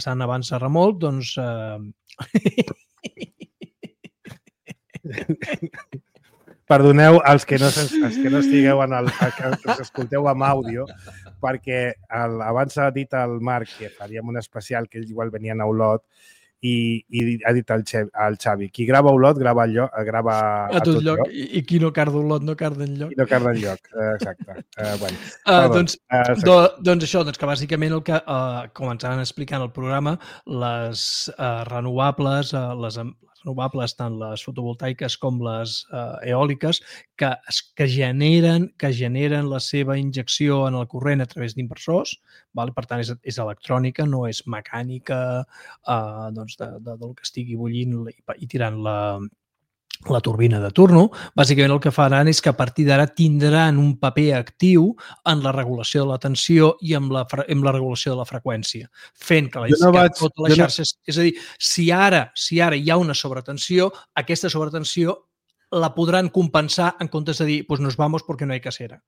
Perdoneu els que no estigueu que us escolteu amb àudio, perquè abans ha dit el Marc que faríem un especial que ells igual venien a Olot i ha dit el Xavi, qui grava a Olot grava a tot lloc. I qui no carda a Olot no carda enlloc. I no carda enlloc, exacte. Doncs això, que bàsicament el que, com ens han explicat al programa, les renovables, les renovables, tant les fotovoltaiques com les eòliques, que generen la seva injecció en el corrent a través d'inversors, per tant és electrònica, no és mecànica del que estigui bullint i tirant la turbina de turno. Bàsicament el que faran és que a partir d'ara tindran un paper actiu en la regulació de la tensió i en la regulació de la freqüència, fent que tota la xarxa... És a dir, si ara hi ha una sobretensió, aquesta sobretensió la podran compensar en comptes de dir nos vamos porque no hay casera.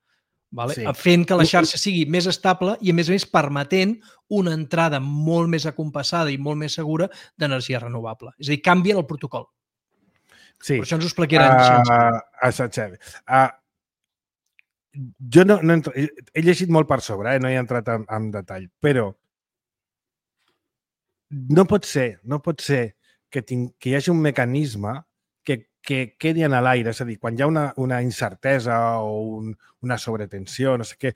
Vale? Sí. Fent que la xarxa sigui més estable i, a més permetent una entrada molt més acompassada i molt més segura d'energia renovable. És a dir, canvien el protocol. Sí. Per això ens ho explicaran. Jo he llegit molt per sobre, no he entrat en detall, però no pot ser que hi hagi un mecanisme que quedi en l'aire, és a dir, quan hi ha una incertesa o una sobretensió, no sé què,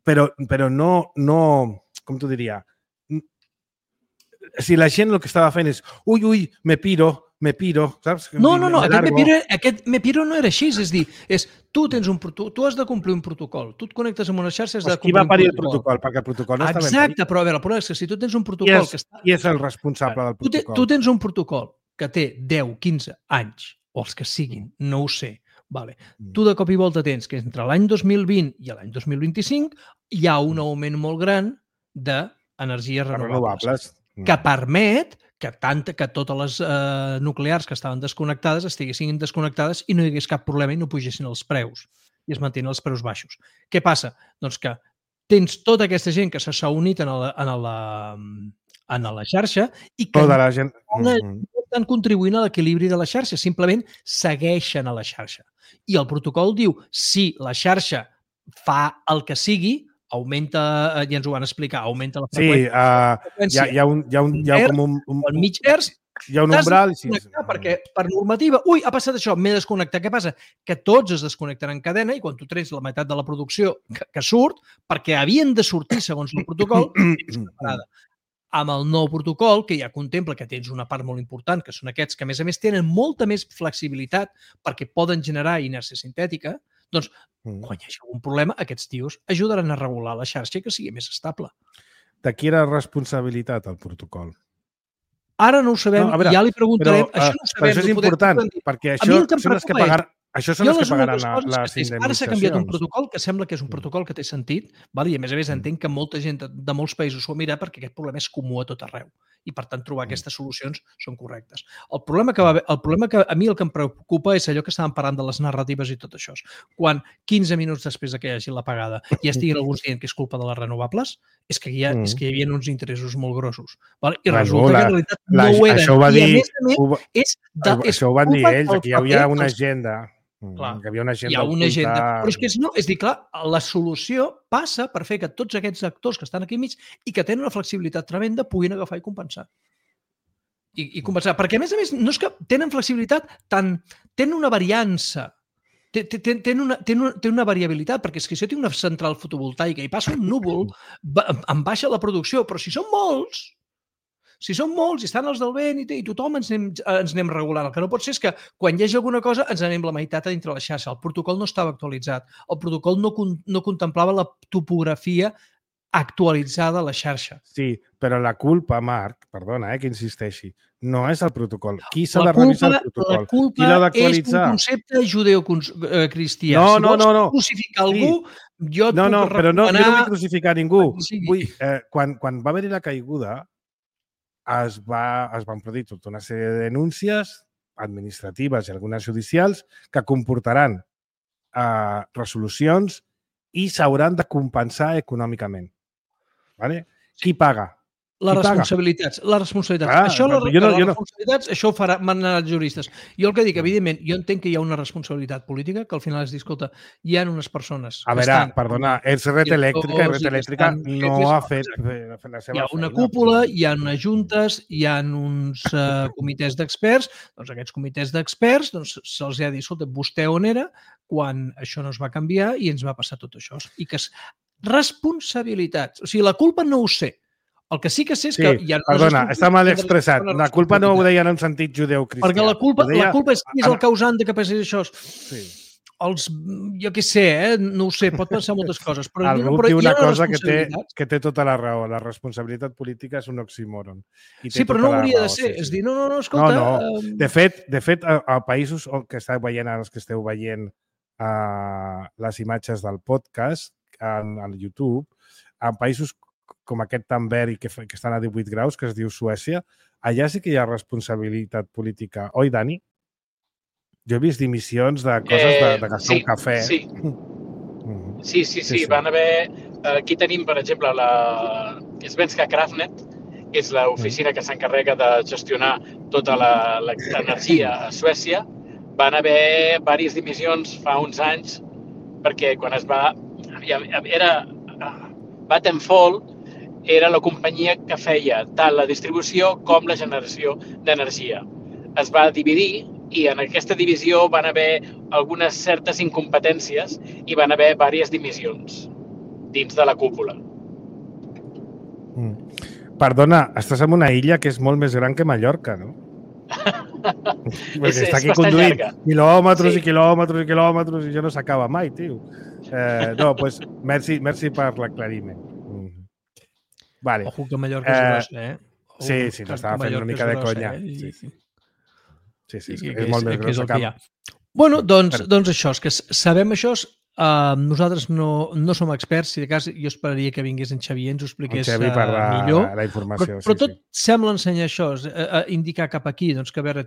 però no, com t'ho diria, si la gent el que estava fent és ui, me piro, saps? No, aquest me piro no era així, és dir, tu has de complir un protocol, tu et connectes amb una xarxa, has de complir un protocol. Qui va parir el protocol? Perquè el protocol no està ben parit. Exacte, però a veure, el problema és que si tu tens un protocol... Qui és el responsable del protocol? Tu tens un protocol que té 10, 15 anys, o els que siguin, no ho sé. Vale. Tu de cop i volta tens que entre l'any 2020 i l'any 2025 hi ha un augment molt gran d'energies renovables que permet que totes les nuclears que estaven desconnectades estiguessin desconnectades i no hi hagués cap problema i no pugessin els preus i es mantenen els preus baixos. Què passa? Doncs que tens tota aquesta gent que s'ha unit en la xarxa i que tota la gent no estan contribuint a l'equilibri de la xarxa, simplement segueixen a la xarxa. I el protocol diu, si la xarxa fa el que sigui, augmenta, ja ens ho van explicar, augmenta la freqüència. Sí, hi ha com un mig hertz, hi ha un umbral. Perquè per normativa, ha passat això, m'he desconnectat. Què passa? Que tots es desconnecten en cadena i quan tu trets la meitat de la producció que surt, perquè havien de sortir segons el protocol, és separada. Amb el nou protocol, que ja contempla que tens una part molt important, que són aquests que, a més, tenen molta més flexibilitat perquè poden generar inèrcia sintètica, doncs, quan hi hagi algun problema, aquests tios ajudaran a regular la xarxa i que sigui més estable. De qui era responsabilitat el protocol? Ara no ho sabem, ja li preguntarem. Això no ho sabem. Però això és important, perquè això són els que pagaran... Això són els que pagaran les indemnitzacions. Ara s'ha canviat un protocol que sembla que és un protocol que té sentit i, a més, entenc que molta gent de molts països s'ho mira perquè aquest problema és comú a tot arreu i, per tant, trobar aquestes solucions són correctes. El problema que a mi el que em preocupa és allò que estàvem parlant de les narratives i tot això. Quan 15 minuts després que hi hagi l'apagada ja estiguin alguns dient que és culpa de les renovables, és que hi havia uns interessos molt grossos. I resulta que en realitat no ho eren. I, a més, això ho van dir ells, que hi havia una agenda. Clar, hi ha una agenda. Però és que és dir, clar, la solució passa per fer que tots aquests actors que estan aquí enmig i que tenen una flexibilitat tremenda puguin agafar i compensar. I compensar. Perquè, a més, no és que tenen flexibilitat, tenen una variança, tenen una variabilitat, perquè és que si jo tinc una central fotovoltaica i passa un núvol, em baixa la producció, però si són molts i estan els del vent i tothom ens anem regulant. El que no pot ser és que quan hi hagi alguna cosa ens anem la meitat a dintre la xarxa. El protocol no estava actualitzat. El protocol no contemplava la topografia actualitzada a la xarxa. Sí, però la culpa, Marc, perdona que insisteixi, no és el protocol. Qui s'ha de revisar el protocol? La culpa és un concepte judeocristià. Si vols crucificar algú, jo et puc recomanar... Però no vull crucificar ningú. Quan va haver-hi la caiguda, es van produir tota una sèrie de denúncies administratives i algunes judicials que comportaran resolucions i s'hauran de compensar econòmicament. Qui paga? Les responsabilitats. Això ho manaran els juristes. Jo el que dic, evidentment, jo entenc que hi ha una responsabilitat política, que al final és dir, escolta, hi ha unes persones... A veure, perdona, és Red Elèctrica i Red Elèctrica no ha fet la seva feina. Hi ha una cúpula, hi ha unes juntes, hi ha uns comitès d'experts, doncs aquests comitès d'experts se'ls ha dit, escolta, vostè on era quan això no es va canviar i ens va passar tot això. I que responsabilitats, o sigui, la culpa no ho sé. El que sí que sé és que hi ha... Perdona, està mal expressat. La culpa no ho deien en sentit judeu-cristià. Perquè la culpa és qui és el causant de que passi això. Sí. Jo què sé, no ho sé, pot pensar moltes coses. Però el grup diu una cosa que té tota la raó. La responsabilitat política és un oxímoron. Sí, però no hauria de ser. És dir, no, escolta... No. De fet, a països que esteu veient, els que esteu veient les imatges del podcast al YouTube, en països com aquest tan verd i que estan a 18 graus, que es diu Suècia, allà sí que hi ha responsabilitat política. Oi, Dani? Jo he vist dimissions de coses de gastar un cafè. Sí. Van haver... Aquí tenim, per exemple, Svenska Kraftnät, que és l'oficina que s'encarrega de gestionar tota l'energia a Suècia. Van haver diverses dimissions fa uns anys perquè quan es va... Vattenfall era la companyia que feia tant la distribució com la generació d'energia. Es va dividir i en aquesta divisió van haver algunes certes incompetències i van haver diverses dimissions dins de la cúpula. Perdona, estàs en una illa que és molt més gran que Mallorca, no? Perquè està aquí conduint quilòmetres i quilòmetres i quilòmetres i ja no s'acaba mai, tio. No, doncs merci per l'aclariment. Vale. Ojo que Mallorca és gros, Sí, t'estava fent una mica de conya. Sí, és molt més gros que Bueno, doncs això, és que sabem això, nosaltres no som experts, si de cas jo esperaria que vingués en Xavier i ens ho expliqués millor, la informació, però tot sembla ensenyar això, indicar cap aquí, doncs que a veure,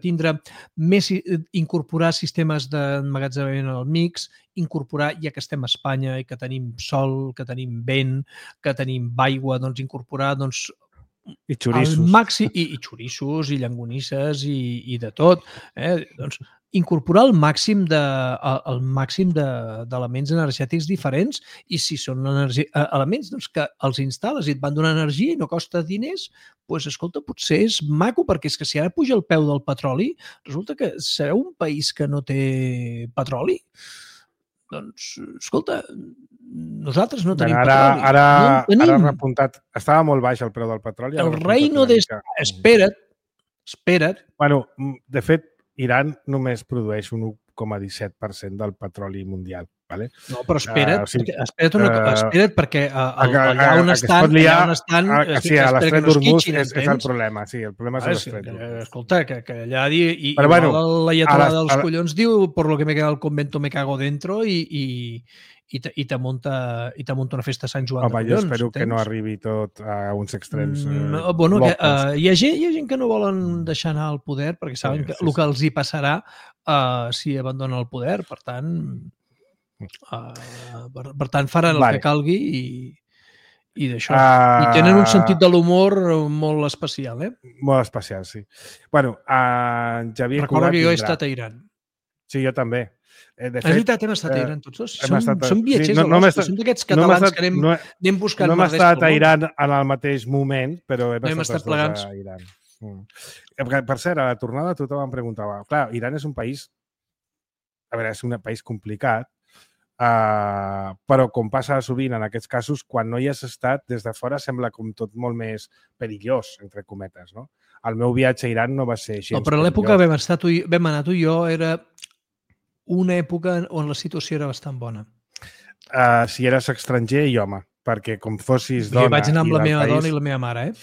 incorporar sistemes d'emmagatzemament al mix, incorporar, ja que estem a Espanya i que tenim sol, que tenim vent, que tenim aigua, doncs incorporar i xorissos. I xorissos, i llangonisses, i de tot. Doncs incorporar el màxim d'elements energètics diferents i si són elements que els instal·les i et van donar energia i no costa diners, doncs escolta, potser és maco, perquè és que si ara puja el peu del petroli, resulta que serà un país que no té petroli? Doncs, escolta, nosaltres no tenim petroli. Ara repuntat. Estava molt baix el preu del petroli. El reino de... Espera't. Bueno, de fet, Iran només produeix un 1,17% del petroli mundial. Vale? No, però espera't perquè allà on estan... Sí, a l'estret d'Hormuz és el problema. Sí, el problema és l'estret d'Hormuz. Escolta, que allà i l'ayatollah dels collons diu por lo que me queda el convento me cago dentro i te monta una festa a Sant Joan de collons. Jo espero que no arribi tot a uns extrems. Hi ha gent que no volen deixar anar el poder perquè saben el que els hi passarà si abandona el poder. Per tant, faran el que calgui i d'això. I tenen un sentit de l'humor molt especial, Molt especial, sí. Bueno, Xavier Recordo que jo he estat a Iran. Sí, jo també. És veritat, hem estat a Iran tots dos. Som viatgers de l'hostia, som d'aquests catalans que anem buscant... No hem estat a Iran en el mateix moment, però hem estat tots a Iran. Per cert, a la tornada tothom em preguntava, clar, Iran és un país, a veure, és un país complicat, però com passa sovint en aquests casos, quan no hi has estat, des de fora sembla com tot molt més perillós, entre cometes, no? El meu viatge a Iran no va ser així. No, però l'època vam anar tu i jo era una època on la situació era bastant bona. Si eres estranger i home, perquè com fossis dona... Jo vaig anar amb la meva dona i la meva mare,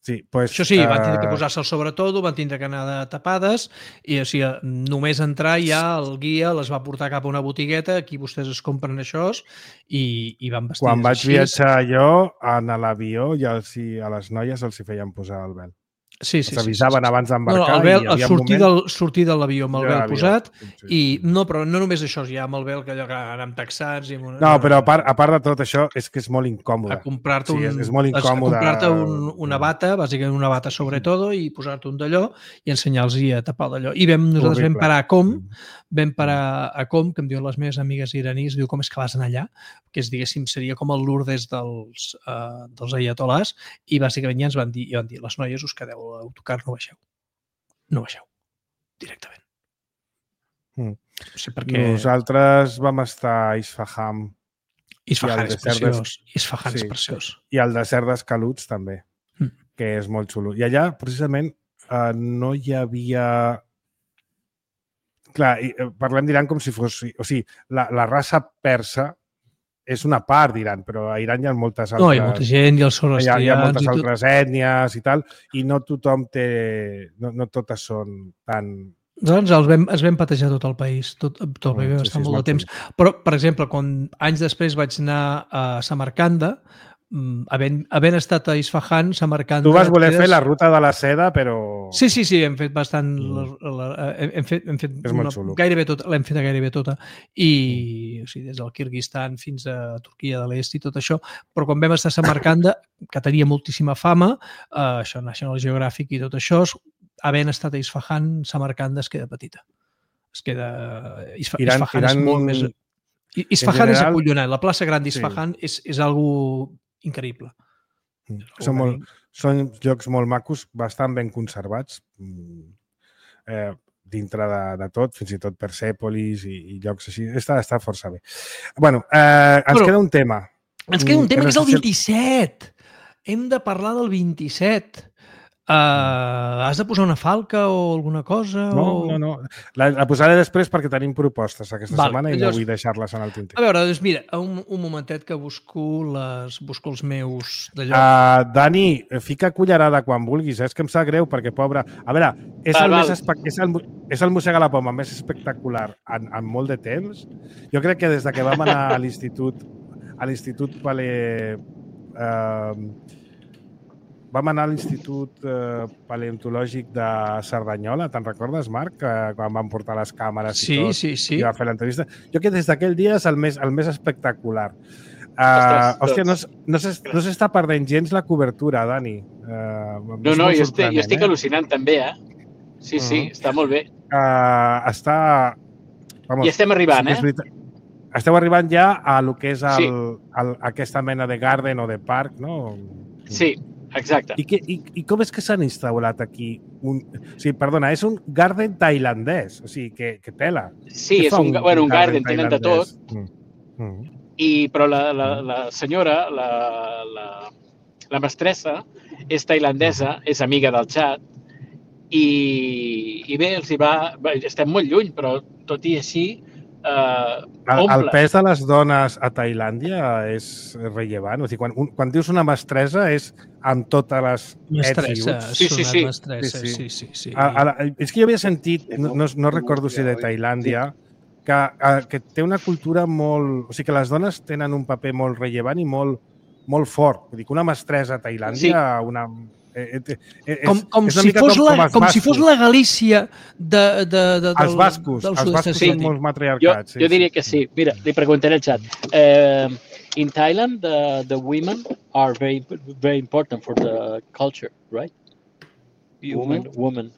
Sí, pues, això sí, van tindre que posar-se el sobretot, van tindre que anar de tapades i o sigui, només entrar ja el guia les va portar cap a una botigueta, aquí vostès es compren això i van vestits. Quan vaig viatjar jo, en l'avió, ja a les noies els hi feien posar el vel. Sí. S'avisaven abans d'embarcar. Sortir de l'avió amb el vel posat però no només això, ja amb el vel que allò que anem taxats... No, però a part de tot això és que és molt incòmode. A comprar-te una bata, bàsicament una bata sobre todo i posar-te un d'allò i ensenyar-los a tapar d'allò. I nosaltres vam parar a Com, que em diuen les meves amigues iranis, diu, com és que vas anar allà? Que és, diguéssim, seria com el Lourdes dels ayatollahs i bàsicament ja ens van dir, les noies us quedeu a l'autocar, no baixeu directament. Sí, perquè... Nosaltres vam estar a Isfahan. Isfahan és preciós. I al desert d'Escaluts també. que és molt xulo. I allà, precisament, no hi havia... Clar, parlem d'Iran com si fos... O sigui, la raça persa és una part d'Iran, però a Iran hi ha moltes altres... No, hi ha molta gent, i els zoroastrians... Hi ha moltes altres ètnies i tal, i no tothom té... No totes són tan... Doncs es vam patejar tot el país, tot el país va estar molt de temps. Però, per exemple, quan anys després vaig anar a Samarcanda, havent estat a Isfahan, Samarcanda... Tu vas voler fer la ruta de la seda, però... Sí, hem fet bastant... Hem fet gairebé tota, l'hem fet gairebé tota. I, o sigui, des del Kirguistan fins a Turquia de l'Est i tot això. Però quan vam estar a Samarcanda, que tenia moltíssima fama, això, National Geographic i tot això, havent estat a Isfahan, Samarcanda es queda petita. Es queda... Isfahan és molt més... Isfahan és acollonant. La plaça gran d'Isfahan és algo increïble. Són llocs molt macos, bastant ben conservats, dintre de tot, fins i tot Persèpolis i llocs així. Està força bé. Bueno, ens queda un tema. Ens queda un tema que és el 27. Hem de parlar del 27. Has de posar una falca o alguna cosa? No. La posaré després perquè tenim propostes aquesta setmana i no vull deixar-les en el tinter. A veure, doncs mira, un momentet que busco els meus d'allò. Dani, fica cullerada quan vulguis, és que em sap greu perquè, pobre... A veure, és el Mossega la Poma més espectacular en molt de temps. Jo crec que des que vam anar a l'Institut Vam anar a l'Institut Paleontològic de Cerdanyola, te'n recordes, Marc? Quan vam portar les càmeres i tot. Sí. I va fer l'entrevista. Jo crec que des d'aquell dia és el més espectacular. Hòstia, no s'està perdent gens la cobertura, Dani. No, jo estic al·lucinant també, Sí, està molt bé. I estem arribant, Esteu arribant ja a lo que és aquesta mena de garden o de parc, no? Sí. Exacte. I com és que s'han instal·lat aquí? Perdona, és un garden tailandès, o sigui, que tela. Sí, és un garden, tenen de tot. Però la senyora, la mestressa, és tailandesa, és amiga del xat, i bé, estem molt lluny, però tot i així... El pes de les dones a Tailàndia és rellevant. O sigui, quan dius una mestressa és amb totes les ets i uts. Sí. És que jo havia sentit, no recordo si de Tailàndia, que té una cultura molt... O sigui, que les dones tenen un paper molt rellevant i molt fort. Vull dir que una mestressa a Tailàndia... Com si fos la Galícia els bascos són molt matriarcats. Jo diria que sí. Mira, li preguntaré al xat. In Thailand, the women are very, very important for the culture, right? Women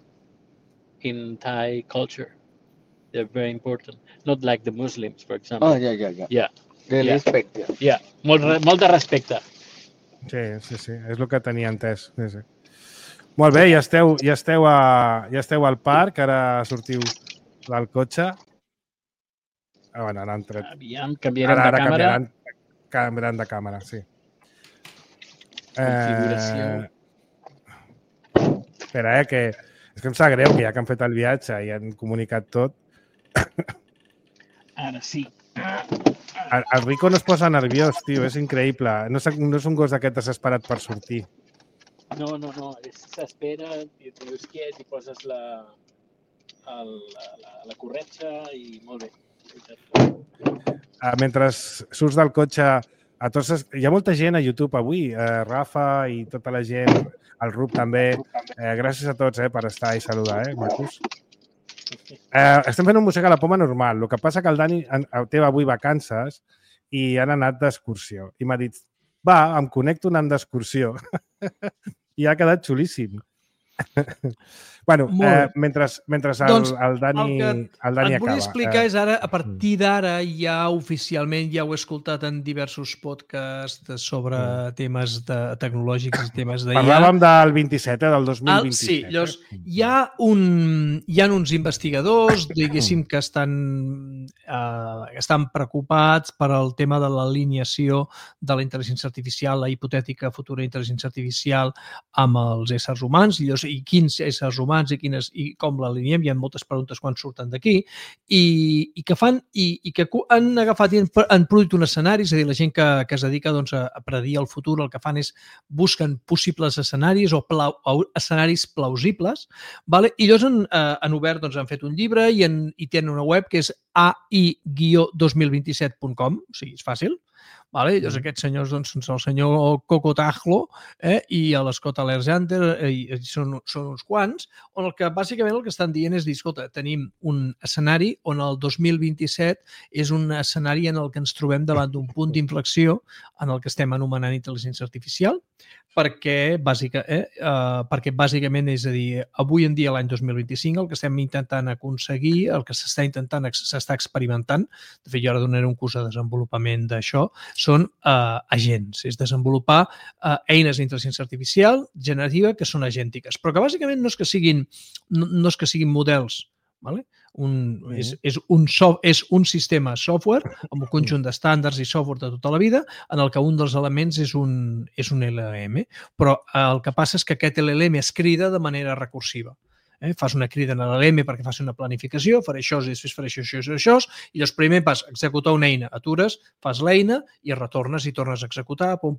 in Thai culture, they're very important. Not like the Muslims, for example. Oh, yeah. They respect. Yeah, molt de respecte. Sí, és el que tenia entès. Sí. Molt bé, ja esteu al parc, ara sortiu del cotxe. Bueno, han entrat. Aviam, canviarem de càmera. Canviaran de càmera, sí. Configuració. Espera, que és que em sap greu que ja que han fet el viatge i han comunicat tot. Ara sí. El Rico no es posa nerviós, tio, és increïble. No és un gos d'aquest desesperat per sortir. No, s'espera, i et dius quiet i poses la corretja i molt bé. Mentre surts del cotxe, hi ha molta gent a YouTube avui, Rafa i tota la gent, el Rup també. Gràcies a tots per estar i saludar, macos. Estem fent un Mossega la Poma normal. El que passa que el Dani té avui vacances i han anat d'excursió. I m'ha dit, em connecto anant d'excursió. I ha quedat xulíssim. Bueno, Molt bé. mentre Doncs el Dani acaba. et volia explicar és ara, a partir d'ara, ja oficialment, ja ho he escoltat en diversos podcasts sobre temes tecnològics i temes d'IA. Parlàvem del 27, del 2027. Sí, llavors, hi ha uns investigadors, diguéssim, que estan preocupats per al tema de l'alineació de la intel·ligència artificial, la hipotètica futura intel·ligència artificial amb els éssers humans, i quins éssers humans i com l'alineem. Hi ha moltes preguntes quan surten d'aquí, i que han agafat i han produït un escenari, és a dir, la gent que es dedica a predir el futur, el que fan és busquen possibles escenaris o escenaris plausibles, i llavors han obert, han fet un llibre i tenen una web que és AI-2027.com, o sigui, és fàcil. Llavors aquests senyors són el senyor Coco Tajlo i l'Scott Alexander, són uns quants, on bàsicament el que estan dient és dir, escolta, tenim un escenari on el 2027 és un escenari en el que ens trobem davant d'un punt d'inflexió en el que estem anomenant intel·ligència artificial, perquè bàsicament, és a dir, avui en dia, l'any 2025, el que estem intentant aconseguir, el que s'està experimentant, de fet, jo ara donaré un curs de desenvolupament d'això, són agents, és desenvolupar eines d'intel·ligència artificial generativa que són agèntiques, però que bàsicament no és que siguin models, és un sistema software amb un conjunt d'estàndards i software de tota la vida en el que un dels elements és un LLM, però el que passa és que aquest LLM es crida de manera recursiva. Fas una crida en l'LLM perquè faci una planificació, faré això, després faré això, i llavors primer vas executar una eina, atures, fas l'eina i retornes i tornes a executar, pum.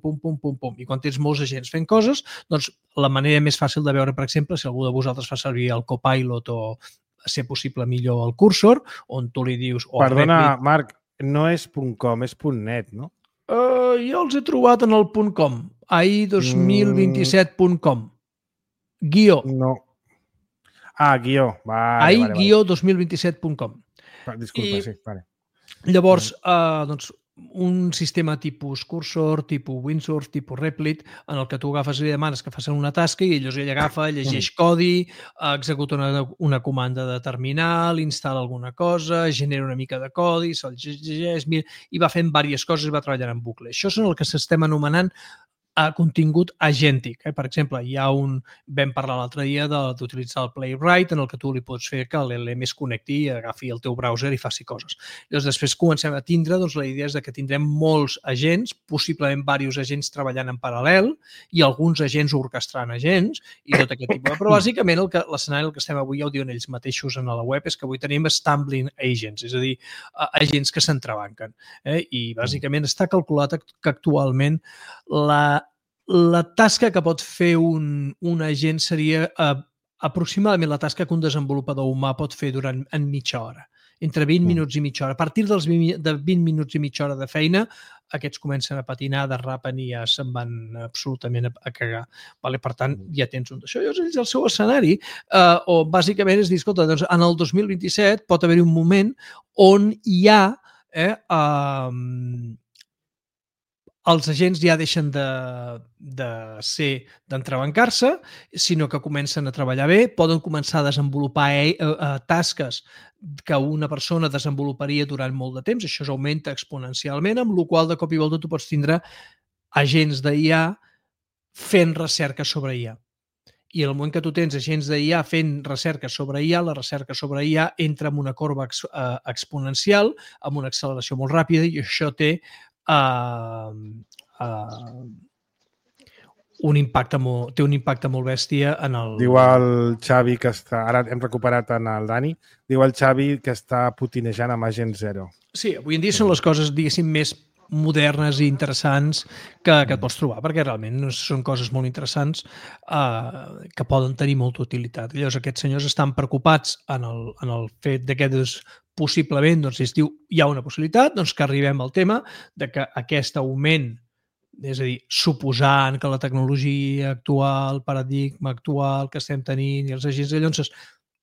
I quan tens molts agents fent coses, doncs la manera més fàcil de veure, per exemple, si algú de vosaltres fa servir el Copilot o a ser possible millor el cursor, on tu li dius... Perdona, Marc, no és .com, és .net, no? Jo els he trobat en el .com, AI2027.com. Guió. No. Guió. AI-2027.com. Disculpa, sí, vale. Llavors, un sistema tipus Cursor, tipus Windsurf, tipus Replit, en el que tu agafes i li demanes que facin una tasca i ell agafa, llegeix codi, executa una comanda de terminal, instal·la alguna cosa, genera una mica de codi, se'l llegeix i va fent diverses coses i va treballant en bucle. Això és el que s'estem anomenant contingut agèntic. Per exemple, vam parlar l'altre dia d'utilitzar el Playwright, en el que tu li pots fer que l'LM es connecti i agafi el teu browser i faci coses. Llavors, després comencem a tindre, la idea és que tindrem molts agents, possiblement diversos agents treballant en paral·lel i alguns agents orquestrant agents i tot aquest tipus. Però, bàsicament, l'escenari que estem avui, ja ho diuen ells mateixos a la web, és que avui tenim stumbling agents, és a dir, agents que s'entrebanquen. I, bàsicament, està calculat que actualment la tasca que pot fer un agent seria aproximadament la tasca que un desenvolupador humà pot fer en mitja hora, entre 20 minuts i mitja hora. A partir de 20 minuts i mitja hora de feina, aquests comencen a patinar, derrapen i ja se'n van absolutament a cagar. Per tant, ja tens un d'això. Llavors, el seu escenari, o bàsicament és dir, escolta, en el 2027 pot haver-hi un moment on hi ha els agents ja deixen d'entrebancar-se, sinó que comencen a treballar bé, poden començar a desenvolupar tasques que una persona desenvoluparia durant molt de temps, això augmenta exponencialment, amb la qual de cop i volta tu pots tindre agents d'IA fent recerca sobre IA. I en el moment que tu tens agents d'IA fent recerca sobre IA, la recerca sobre IA entra en una corba exponencial, amb una acceleració molt ràpida, i això té un impacte molt bèstia en el... Diu el Xavi que està... Ara hem recuperat en el Dani. Diu el Xavi que està putinejant amb Agent Zero. Sí, avui en dia són les coses, diguéssim, més modernes i interessants que et pots trobar, perquè realment són coses molt interessants que poden tenir molta utilitat. Llavors, aquests senyors estan preocupats en el fet que possiblement, es diu, hi ha una possibilitat que arribem al tema de que aquest augment, és a dir, suposant que la tecnologia actual, el paradigma actual que estem tenint i els agents de llavors,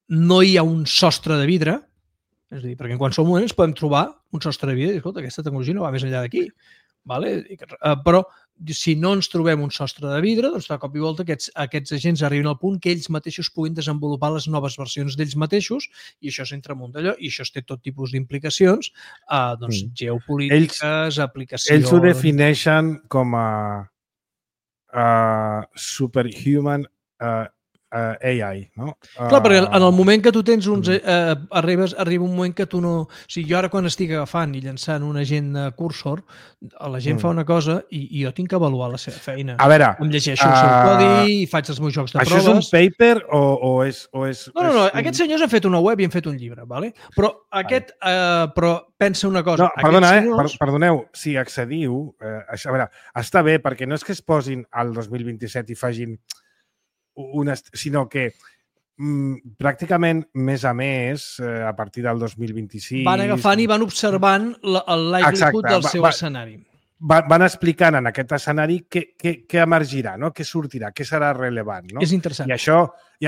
no hi ha un sostre de vidre, és a dir, perquè en qualsevol moment ens podem trobar un sostre de vidre i, escolta, aquesta tecnologia no va més enllà d'aquí. Vale? Però si no ens trobem un sostre de vidre, doncs de cop i volta aquests agents arriben al punt que ells mateixos puguin desenvolupar les noves versions d'ells mateixos i això s'entra amunt d'allò i això té tot tipus d'implicacions geopolítiques, aplicacions... Ells ho defineixen com a superhuman AI, no? Clar, perquè en el moment que tu tens uns... arriba un moment que tu no... O sigui, jo ara quan estic agafant i llançant un agent cursor, la gent fa una cosa i jo tinc que avaluar la seva feina. A veure... Em llegeixo el seu codi i faig els meus jocs de proves. Això és un paper o és... No. Aquests senyors han fet una web i han fet un llibre, ¿vale? Però però pensa una cosa... No, perdoneu, si accediu... A veure, està bé, perquè no és que es posin al 2027 i facin... sinó que pràcticament més a més, a partir del 2026... Van agafant i van observant el livelihood del seu escenari. Van explicant en aquest escenari què emergirà, no? Què sortirà, què serà rellevant. No? És interessant. I això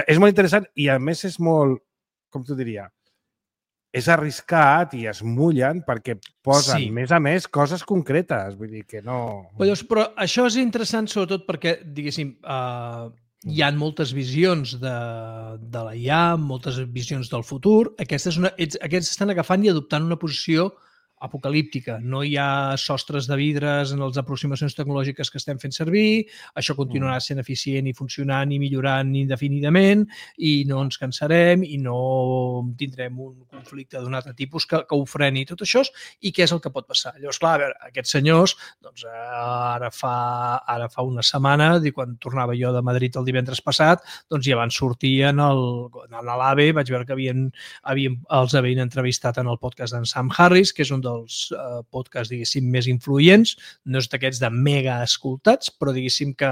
és molt interessant i a més és molt, com t'ho diria, és arriscat i es mullen perquè posen, més a més, coses concretes. Vull dir que no... Però això és interessant sobretot perquè, diguéssim, hi ha moltes visions de la IA, moltes visions del futur. Aquests estan agafant i adoptant una posició apocalíptica. No hi ha sostres de vidres en les aproximacions tecnològiques que estem fent servir, això continuarà sent eficient i funcionant i millorant indefinidament i no ens cansarem i no tindrem un conflicte d'un altre tipus que ho freni tot això i què és el que pot passar. Llavors, clar, a veure, aquests senyors, doncs ara fa una setmana, quan tornava jo de Madrid el divendres passat, doncs ja van sortir a l'AVE, vaig veure que els havien entrevistat en el podcast d'en Sam Harris, que és un dels podcasts, diguéssim, més influents, no és d'aquests de mega escoltats, però diguéssim que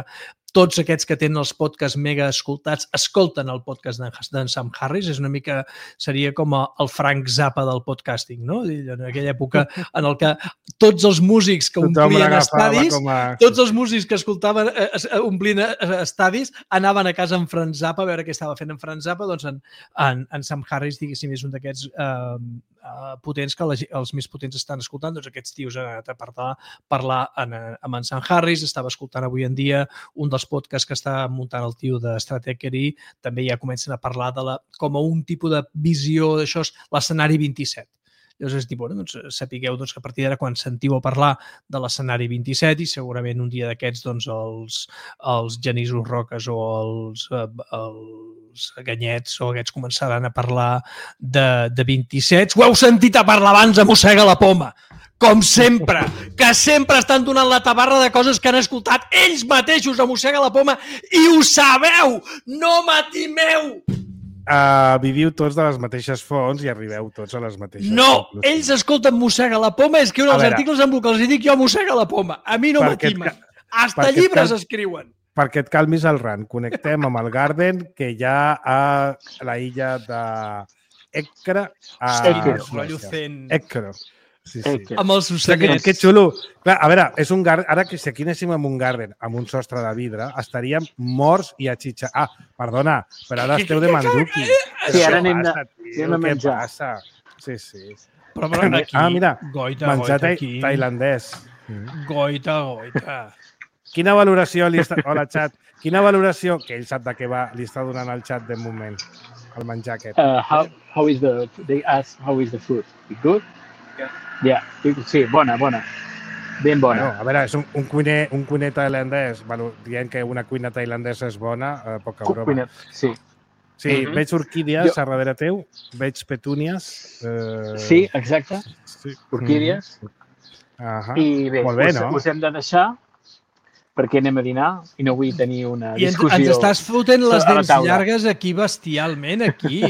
tots aquests que tenen els podcasts mega escoltats escolten el podcast d'en Sam Harris. És una mica, seria com el Frank Zappa del podcasting, no? En aquella època en el que tots els músics que omplien estadis, tots els músics que escoltaven, omplint estadis, anaven a casa en Frank Zappa a veure què estava fent en Frank Zappa. Doncs en Sam Harris, diguéssim, és un d'aquests potents que els més potents estan escoltant. Doncs aquests tios han anat a parlar amb en Sam Harris. Estava escoltant avui en dia un dels podcasts que està muntant el tio de Stratechery, també ja comencen a parlar com a un tipus de visió d'això, l'escenari 27. Llavors, doncs, sapigueu que a partir d'ara, quan sentiu a parlar de l'escenari 27, i segurament un dia d'aquests els Genisos Roques o els Ganyets o aquests començaran a parlar de 27. Ho heu sentit a parlar abans, a mossega la poma! Com sempre, que sempre estan donant la tabarra de coses que han escoltat ells mateixos a mossega la poma i ho sabeu! No m'atimeu! Viviu tots de les mateixes fonts i arribeu tots a les mateixes... No! Ells escolten mossega la poma, escriuen els articles en el que els dic jo a mossega la poma. A mi no m'atimen. Hasta llibres escriuen. Perquè et calmis el ran. Connectem amb el Garden, que hi ha a la illa d'Écra. Écra. Sí. Amb els ocellets. Que xulo. Clar, a veure, és un Garden. Ara que si aquí anéssim amb un Garden, amb un sostre de vidre, estaríem morts i a xitxar. Ah, perdona, però ara esteu de manduki. Sí, ara anem a menjar. Sí. Però aquí, mira, menjar tailandès. Goita. Quina valoració li està... Hola, xat. Quina valoració, que ell sap de què va, li està donant al xat de moment, el menjar aquest? They ask how is the food? Good? Yeah. Sí, bona. Ben bona. A veure, és un cuiner tailandès, dient que una cuina tailandesa és bona, poca broma. Sí. Sí, veig orquídies a darrere teu, veig petúnies. Sí, exacte. Orquídies. I bé, us hem de deixar perquè anem a dinar i no vull tenir una discussió. I ens estàs fotent les dents llargues aquí bestialment, aquí.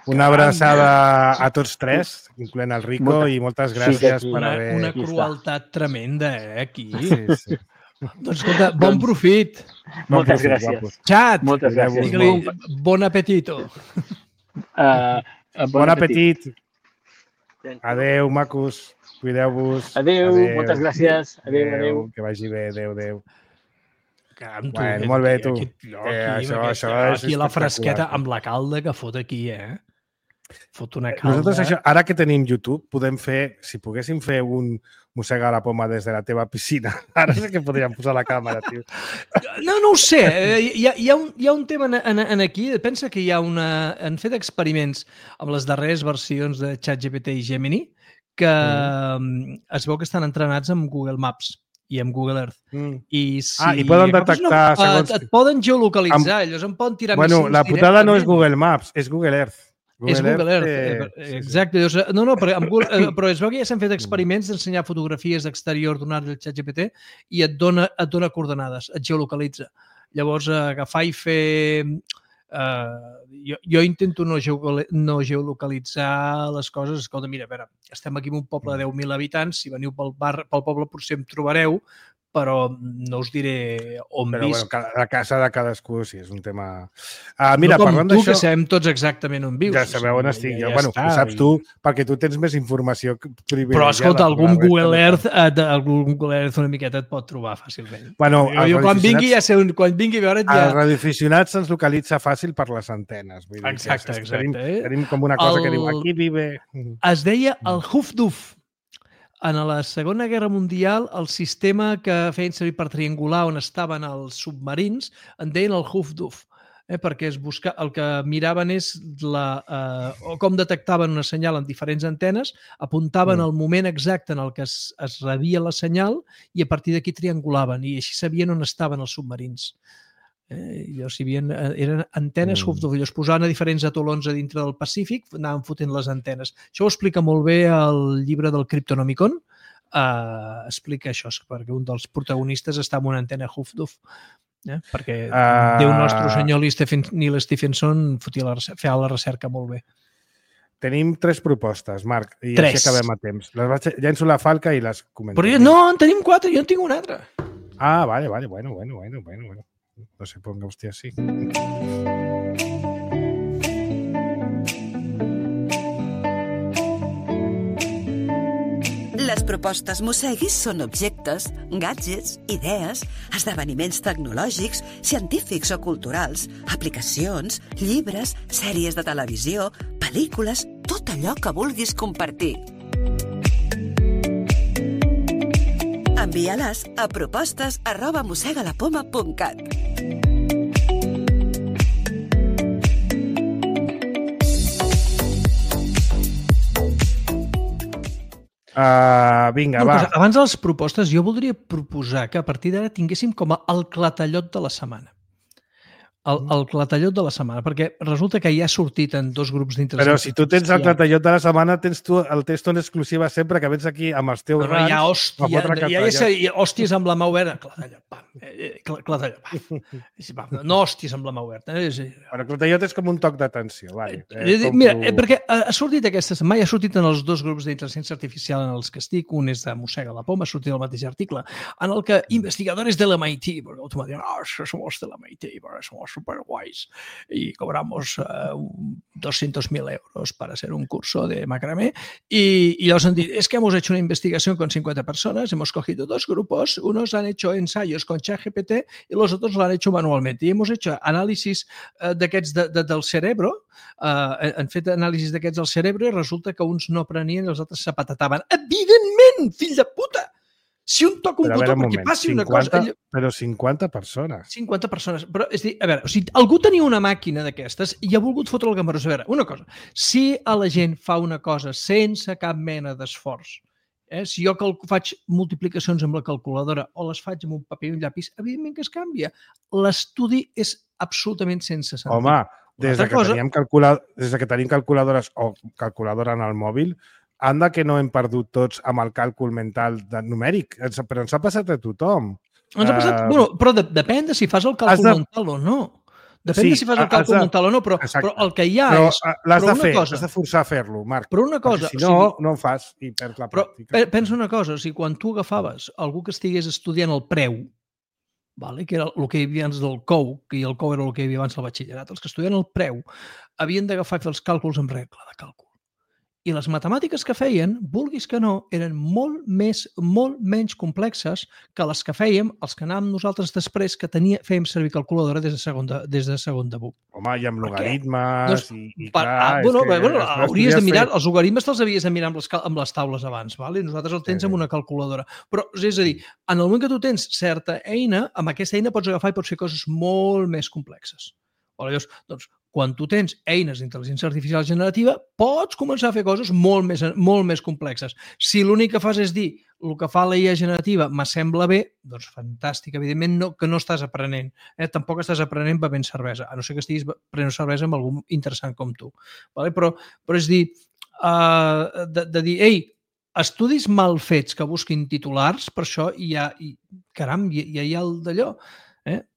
Una abraçada a tots tres, incloent el Rico, i moltes gràcies per haver... Una crueltat tremenda, aquí. Sí. Doncs escolta, bon profit. Moltes gràcies. Xat, moltes gràcies. Digue-li bon apetito. Bon apetit. Adéu, macos. Cuideu-vos. Adéu, moltes gràcies. Adéu. Que vagi bé, adéu. Bueno, molt bé, tu. Aquí la fresqueta amb la calda que fot aquí, Fot una calda. Nosaltres, ara que tenim YouTube, podem fer, si poguéssim fer un mossega la poma des de la teva piscina. Ara sí que podríem posar la càmera, tio. No ho sé. Hi ha un tema aquí. Pensa que han fet experiments amb les darreres versions de ChatGPT i Gemini que es veu que estan entrenats amb Google Maps i amb Google Earth. I poden detectar... Et poden geolocalitzar, llavors em poden tirar missions directament. La putada no és Google Maps, és Google Earth. És Google Earth, exacte. Però es veu que ja s'han fet experiments d'ensenyar fotografies d'exterior d'un arc del ChatGPT i et dona coordenades, et geolocalitza. Llavors, agafar i fer... Jo intento no geolocalitzar les coses. Escolta, mira, a veure, estem aquí en un poble de 10.000 habitants, si veniu pel poble potser em trobareu, però no us diré on visc. Però la casa de cadascú, sí, és un tema... Mira, parlant d'això... No com tu, que sabem tots exactament on vius. Ja sabeu on estic. Ho saps tu, perquè tu tens més informació privilegiada. Però, escolta, algun Google Earth una miqueta et pot trobar fàcilment. Jo quan vingui a veure't ja... Els radioaficionats se'ns localitza fàcil per les antenes. Exacte. Tenim com una cosa que diu, aquí vive... Es deia el Hufduf. En la Segona Guerra Mundial, el sistema que feien servir per triangular on estaven els submarins en deien el Hufduf, perquè el que miraven és com detectaven una senyal en diferents antenes, apuntaven el moment exacte en el que es rebia la senyal i a partir d'aquí triangulaven i així sabien on estaven els submarins. Eren antenes Hufduf, es posaven a diferents atolons a dintre del Pacífic, anaven fotent les antenes. Això ho explica molt bé el llibre del Cryptonomicon, explica això, perquè un dels protagonistes està amb una antena Hufduf, perquè Déu nostre senyor Neil Stephenson feia la recerca molt bé. Tenim 3 propostes, Marc, i així acabem a temps. Llenço la falca i les comentem. Però no, en tenim 4, jo en tinc una altra. Vale, bueno. No se ponga usted así. Les propostes Mosseguis són objectes, gadgets, idees, esdeveniments tecnològics, científics o culturals, aplicacions, llibres, sèries de televisió, pel·lícules, tot allò que vulguis compartir. Envia-les a propostes@mossegalapoma.cat. Vinga, va. Abans de les propostes, jo voldria proposar que a partir d'ara tinguéssim com el clatallot de la setmana. El clatallot de la setmana, perquè resulta que ja ha sortit en 2 grups d'interès. Però si tu tens el clatallot de la setmana, tens tu el testo en exclusiva sempre, que vens aquí amb els teus rans. Hi ha hòsties amb la mà oberta. Clatallot, pam. No hòsties amb la mà oberta. Però clatallot és com un toc d'atenció. Mira, perquè ha sortit aquesta setmana, ha sortit en els 2 grups d'intel·ligència artificial en els que estic, un és de Mossega la Poma, ha sortit el mateix article, en el que investigadores de l'MIT, perquè automàticament, somos de l'MIT, somos super guays y cobramos 200.000 euros para hacer un curso de macramé y los han dicho, es que hemos hecho una investigación con 50 personas, hemos cogido 2 grupos, unos han hecho ensayos con ChatGPT y los otros lo han hecho manualmente y hemos hecho análisis d'aquests del cerebro, han fet anàlisis d'aquests del cerebro i resulta que uns no aprenien i els altres se patataven. Evidentment, fill de puta! Si un toca un botó perquè passi una cosa... Però 50 persones. 50 persones. Però, és a dir, a veure, si algú tenia una màquina d'aquestes i ha volgut fotre el gambarrós, a veure, una cosa, si a la gent fa una cosa sense cap mena d'esforç, si jo faig multiplicacions amb la calculadora o les faig amb un paper i un llapis, evidentment que es canvia. L'estudi és absolutament sense sentit. Home, des que tenim calculadores o calculadora en el mòbil, anda que no hem perdut tots amb el càlcul mental numèric, però ens ha passat a tothom. Ens ha passat, però depèn de si fas el càlcul mental o no. Depèn de si fas el càlcul mental o no, però el que hi ha és... L'has de fer, has de forçar a fer-lo, Marc. Però una cosa... Si no, no en fas i perds la pràctica. Però pensa una cosa, si quan tu agafaves algú que estigués estudiant el preu, que era el que hi havia abans del COU, i el COU era el que hi havia abans del batxillerat, els que estudien el preu havien d'agafar i fer els càlculs amb regla de càlcul. I les matemàtiques que feien, vulguis que no, eren molt menys complexes que les que fèiem els que anàvem nosaltres després que fèiem servir calculadora des de segon debut. Home, i amb logaritmes hauries de mirar, els logaritmes te'ls havies de mirar amb les taules abans, vale? Nosaltres el tens amb una calculadora. Però, és a dir, en el moment que tu tens certa eina, amb aquesta eina pots agafar i pots fer coses molt més complexes. Llavors, doncs, quan tu tens eines d'intel·ligència artificial generativa, pots començar a fer coses molt més complexes. Si l'únic que fas és dir el que fa la IA generativa m'assembla bé, doncs fantàstic. Evidentment que no estàs aprenent. Tampoc estàs aprenent bevent cervesa, a no ser que estiguis prenent cervesa amb algú interessant com tu. Però és dir, de dir, ei, estudis mal fets que busquin titulars, per això ja hi ha el d'allò,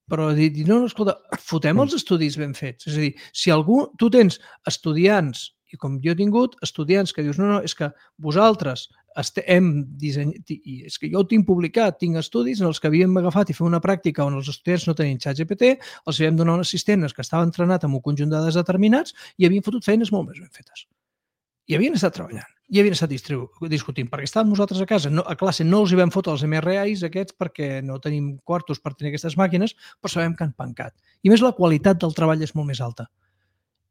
però dir, no, escolta, fotem els estudis ben fets. És a dir, si tu tens estudiants, i com jo he tingut, estudiants que dius, no, és que vosaltres hem dissenyat, és que jo ho tinc publicat, tinc estudis en els que havíem agafat i fer una pràctica on els estudiants no tenien ChatGPT, els havíem donat un assistent que estava entrenat amb un conjunt de dades determinats i havien fotut feines molt més ben fetes. I havien estat treballant, i havien estat discutint, perquè estàvem nosaltres a casa, a classe no els hi vam fotre els MRIs aquests perquè no tenim quartos per tenir aquestes màquines, però sabem que han pencat. I més la qualitat del treball és molt més alta.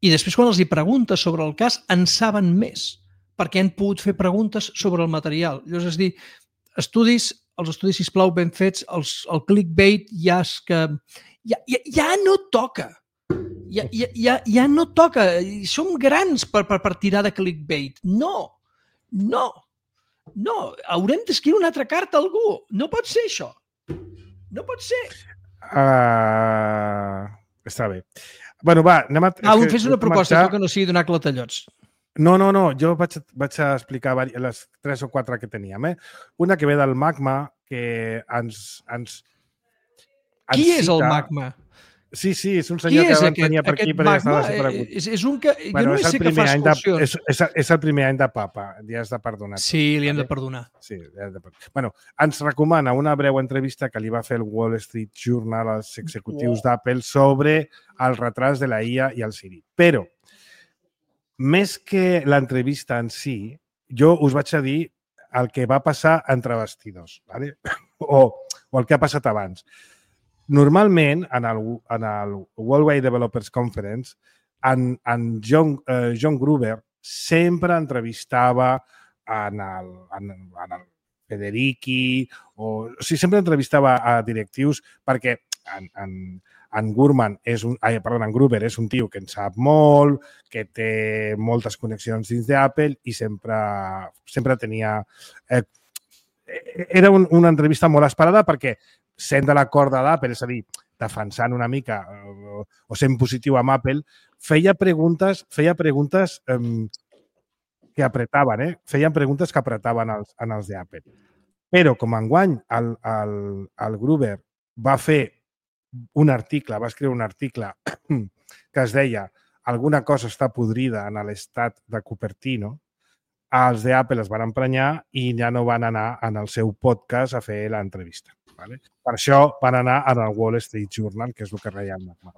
I després quan els hi preguntes sobre el cas en saben més, perquè han pogut fer preguntes sobre el material. Llavors, és dir, els estudis, sisplau, ben fets, el clickbait ja no toca. Ja no toca. Som grans per tirar de clickbait. No. Haurem d'escriure una altra carta a algú. No pot ser això. No pot ser. Està bé. Bueno, va, anem a... Fes una proposta que no sigui donar clatellots. No, jo vaig a explicar les 3 o 4 que teníem. Una que ve del Magma, que ens Qui és el Magma? Sí, és un senyor que vam tenir per aquí perquè estava desaparegut. És un que... Jo no sé que fa excursions. És el primer any de papa, li has de perdonar. Sí, li hem de perdonar. Sí, li hem de perdonar. Bueno, ens recomana una breu entrevista que li va fer el Wall Street Journal als executius d'Apple sobre el retras de la IA i el Siri. Però, més que l'entrevista en si, jo us vaig a dir el que va passar entre vestidors, ¿vale? o el que ha passat abans. Normalment, en el Worldwide Developers Conference, en John Gruber sempre entrevistava en el Federici, sempre entrevistava a directius perquè en Gruber és un tio que en sap molt, que té moltes connexions dins d'Apple i sempre tenia... Era una entrevista molt esperada perquè sent de la corda d'Apple, és a dir, defensant una mica o sent positiu amb Apple, feia preguntes que apretaven, feien preguntes que apretaven els d'Apple. Però, com enguany, el Gruber va escriure un article que es deia alguna cosa està podrida en l'estat de Cupertino, els d'Apple es van emprenyar i ja no van anar en el seu podcast a fer l'entrevista. Vale? Per això van anar al Wall Street Journal, que és el que reia el Magma.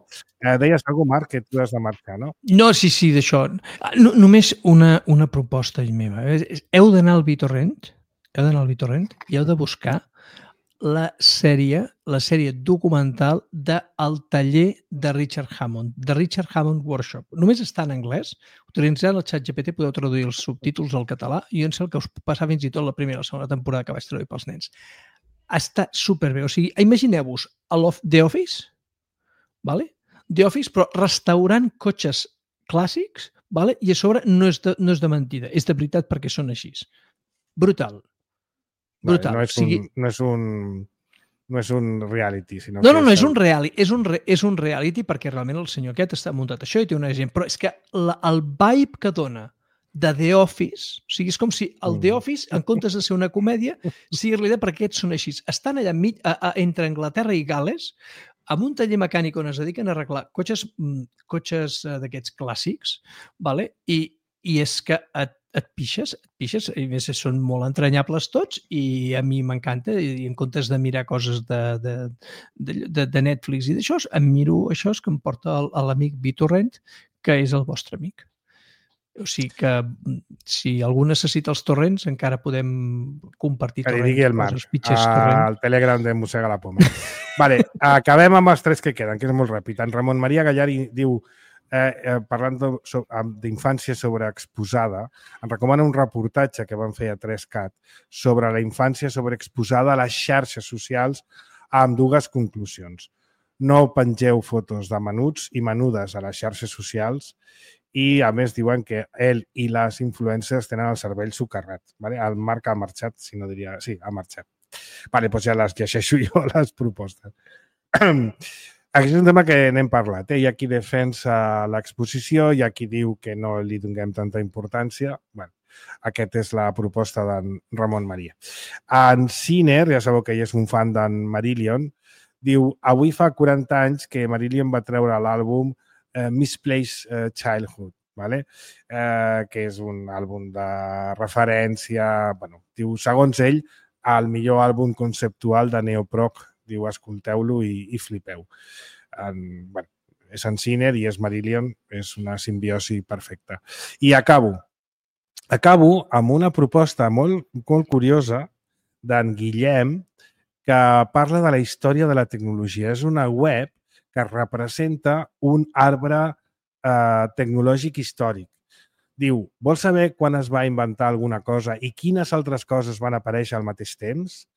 Deies alguna cosa, Marc, que tu has de marcar, no? No, sí, d'això. Només una proposta meva. Heu d'anar al BitTorrent, i heu de buscar la sèrie documental del taller de Richard Hammond, de Richard Hammond Workshop. Només està en anglès. Utilitzant el ChatGPT podeu traduir els subtítols al català i jo em sé el que us passa fins i tot la primera o la segona temporada que vaig traduir pels nens. Està superbé. O sigui, imagineu-vos The Office, vale? The Office, però restaurant cotxes clàssics, vale? I a sobre no és de mentida, és de veritat perquè són així. Brutal. Brutal. No és un reality, sinó No, és un reality. És un reality perquè realment el senyor aquest està muntat això i té una gent. Però és que el vibe que dona de The Office, o sigui, és com si el The Office, en comptes de ser una comèdia, sigui realitat perquè aquests són així. Estan allà entre Anglaterra i Gal·les, amb un taller mecànic on es dediquen a arreglar cotxes d'aquests clàssics, vale? I és que et pixes, i més són molt entranyables tots, i a mi m'encanta, i en comptes de mirar coses de Netflix i d'això, em miro això que em porta l'amic BitTorrent, que és el vostre amic. O sigui que si algú necessita els torrents, encara podem compartir torrents. Que li digui el Marc, al Telegram de Mossega la Poma. Vale, acabem amb els 3 que queden, que és molt ràpid. En Ramon Maria Gallari diu, parlant d'infància sobreexposada, em recomana un reportatge que van fer a 3CAT sobre la infància sobreexposada a les xarxes socials amb 2 conclusions. No pengeu fotos de menuts i menudes a les xarxes socials i, a més, diuen que ell i les influencers tenen el cervell socarrat. Vale? El Marc ha marxat, si no diria... Sí, ha marxat. Vale, doncs ja les llegeixo jo, les propostes. Aquest és un tema que n'hem parlat. Hi ha qui defensa l'exposició, hi ha qui diu que no li donem tanta importància. Bueno, aquesta és la proposta d'en Ramon Maria. En Sinner, ja sabeu que ell és un fan d'en Marillion, diu, avui fa 40 anys que Marillion va treure l'àlbum Misplaced Childhood, ¿vale? Que és un àlbum de referència, bueno, diu, segons ell, el millor àlbum conceptual de neoprog. Diu, escolteu-lo i flipeu. Bueno, és en Sinner i és Marillion, és una simbiosi perfecta. I acabo amb una proposta molt curiosa d'en Guillem, que parla de la història de la tecnologia. És una web que representa un arbre tecnològic històric. Diu, vols saber quan es va inventar alguna cosa i quines altres coses van aparèixer al mateix temps?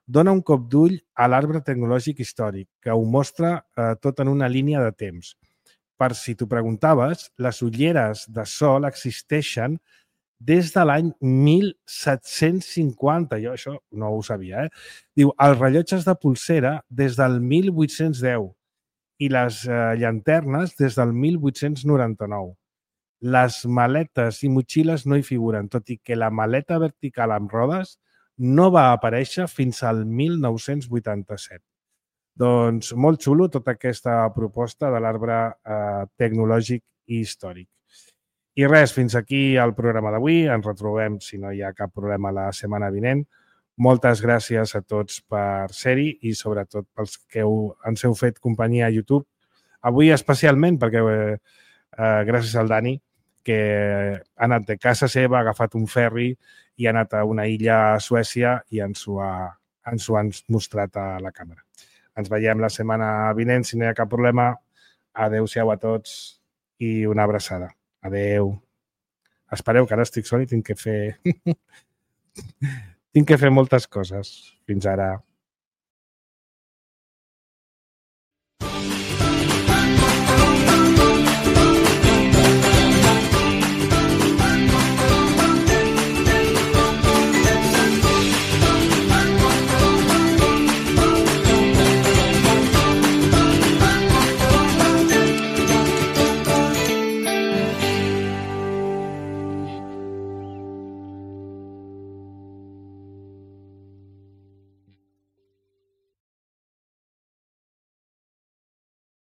Dona un cop d'ull a l'arbre tecnològic històric, que ho mostra tot en una línia de temps. Per si t'ho preguntaves, les ulleres de sol existeixen des de l'any 1750. Jo això no ho sabia, Diu, els rellotges de polsera des del 1810 i les llanternes des del 1899. Les maletes i motxilles no hi figuren, tot i que la maleta vertical amb rodes no va aparèixer fins al 1987. Doncs molt xulo tota aquesta proposta de l'arbre tecnològic i històric. I res, fins aquí el programa d'avui. Ens retrobem, si no hi ha cap problema, la setmana vinent. Moltes gràcies a tots per ser-hi i sobretot pels que ens heu fet companyia a YouTube. Avui especialment perquè gràcies al Dani, que ha anat de casa seva, ha agafat un ferri i ha anat a una illa a Suècia i ens ho han mostrat a la càmera. Ens veiem la setmana vinent, si no hi ha cap problema. Adéu-siau a tots i una abraçada. Adéu. Espereu, que ara estic sol i tinc que fer moltes coses. Fins ara.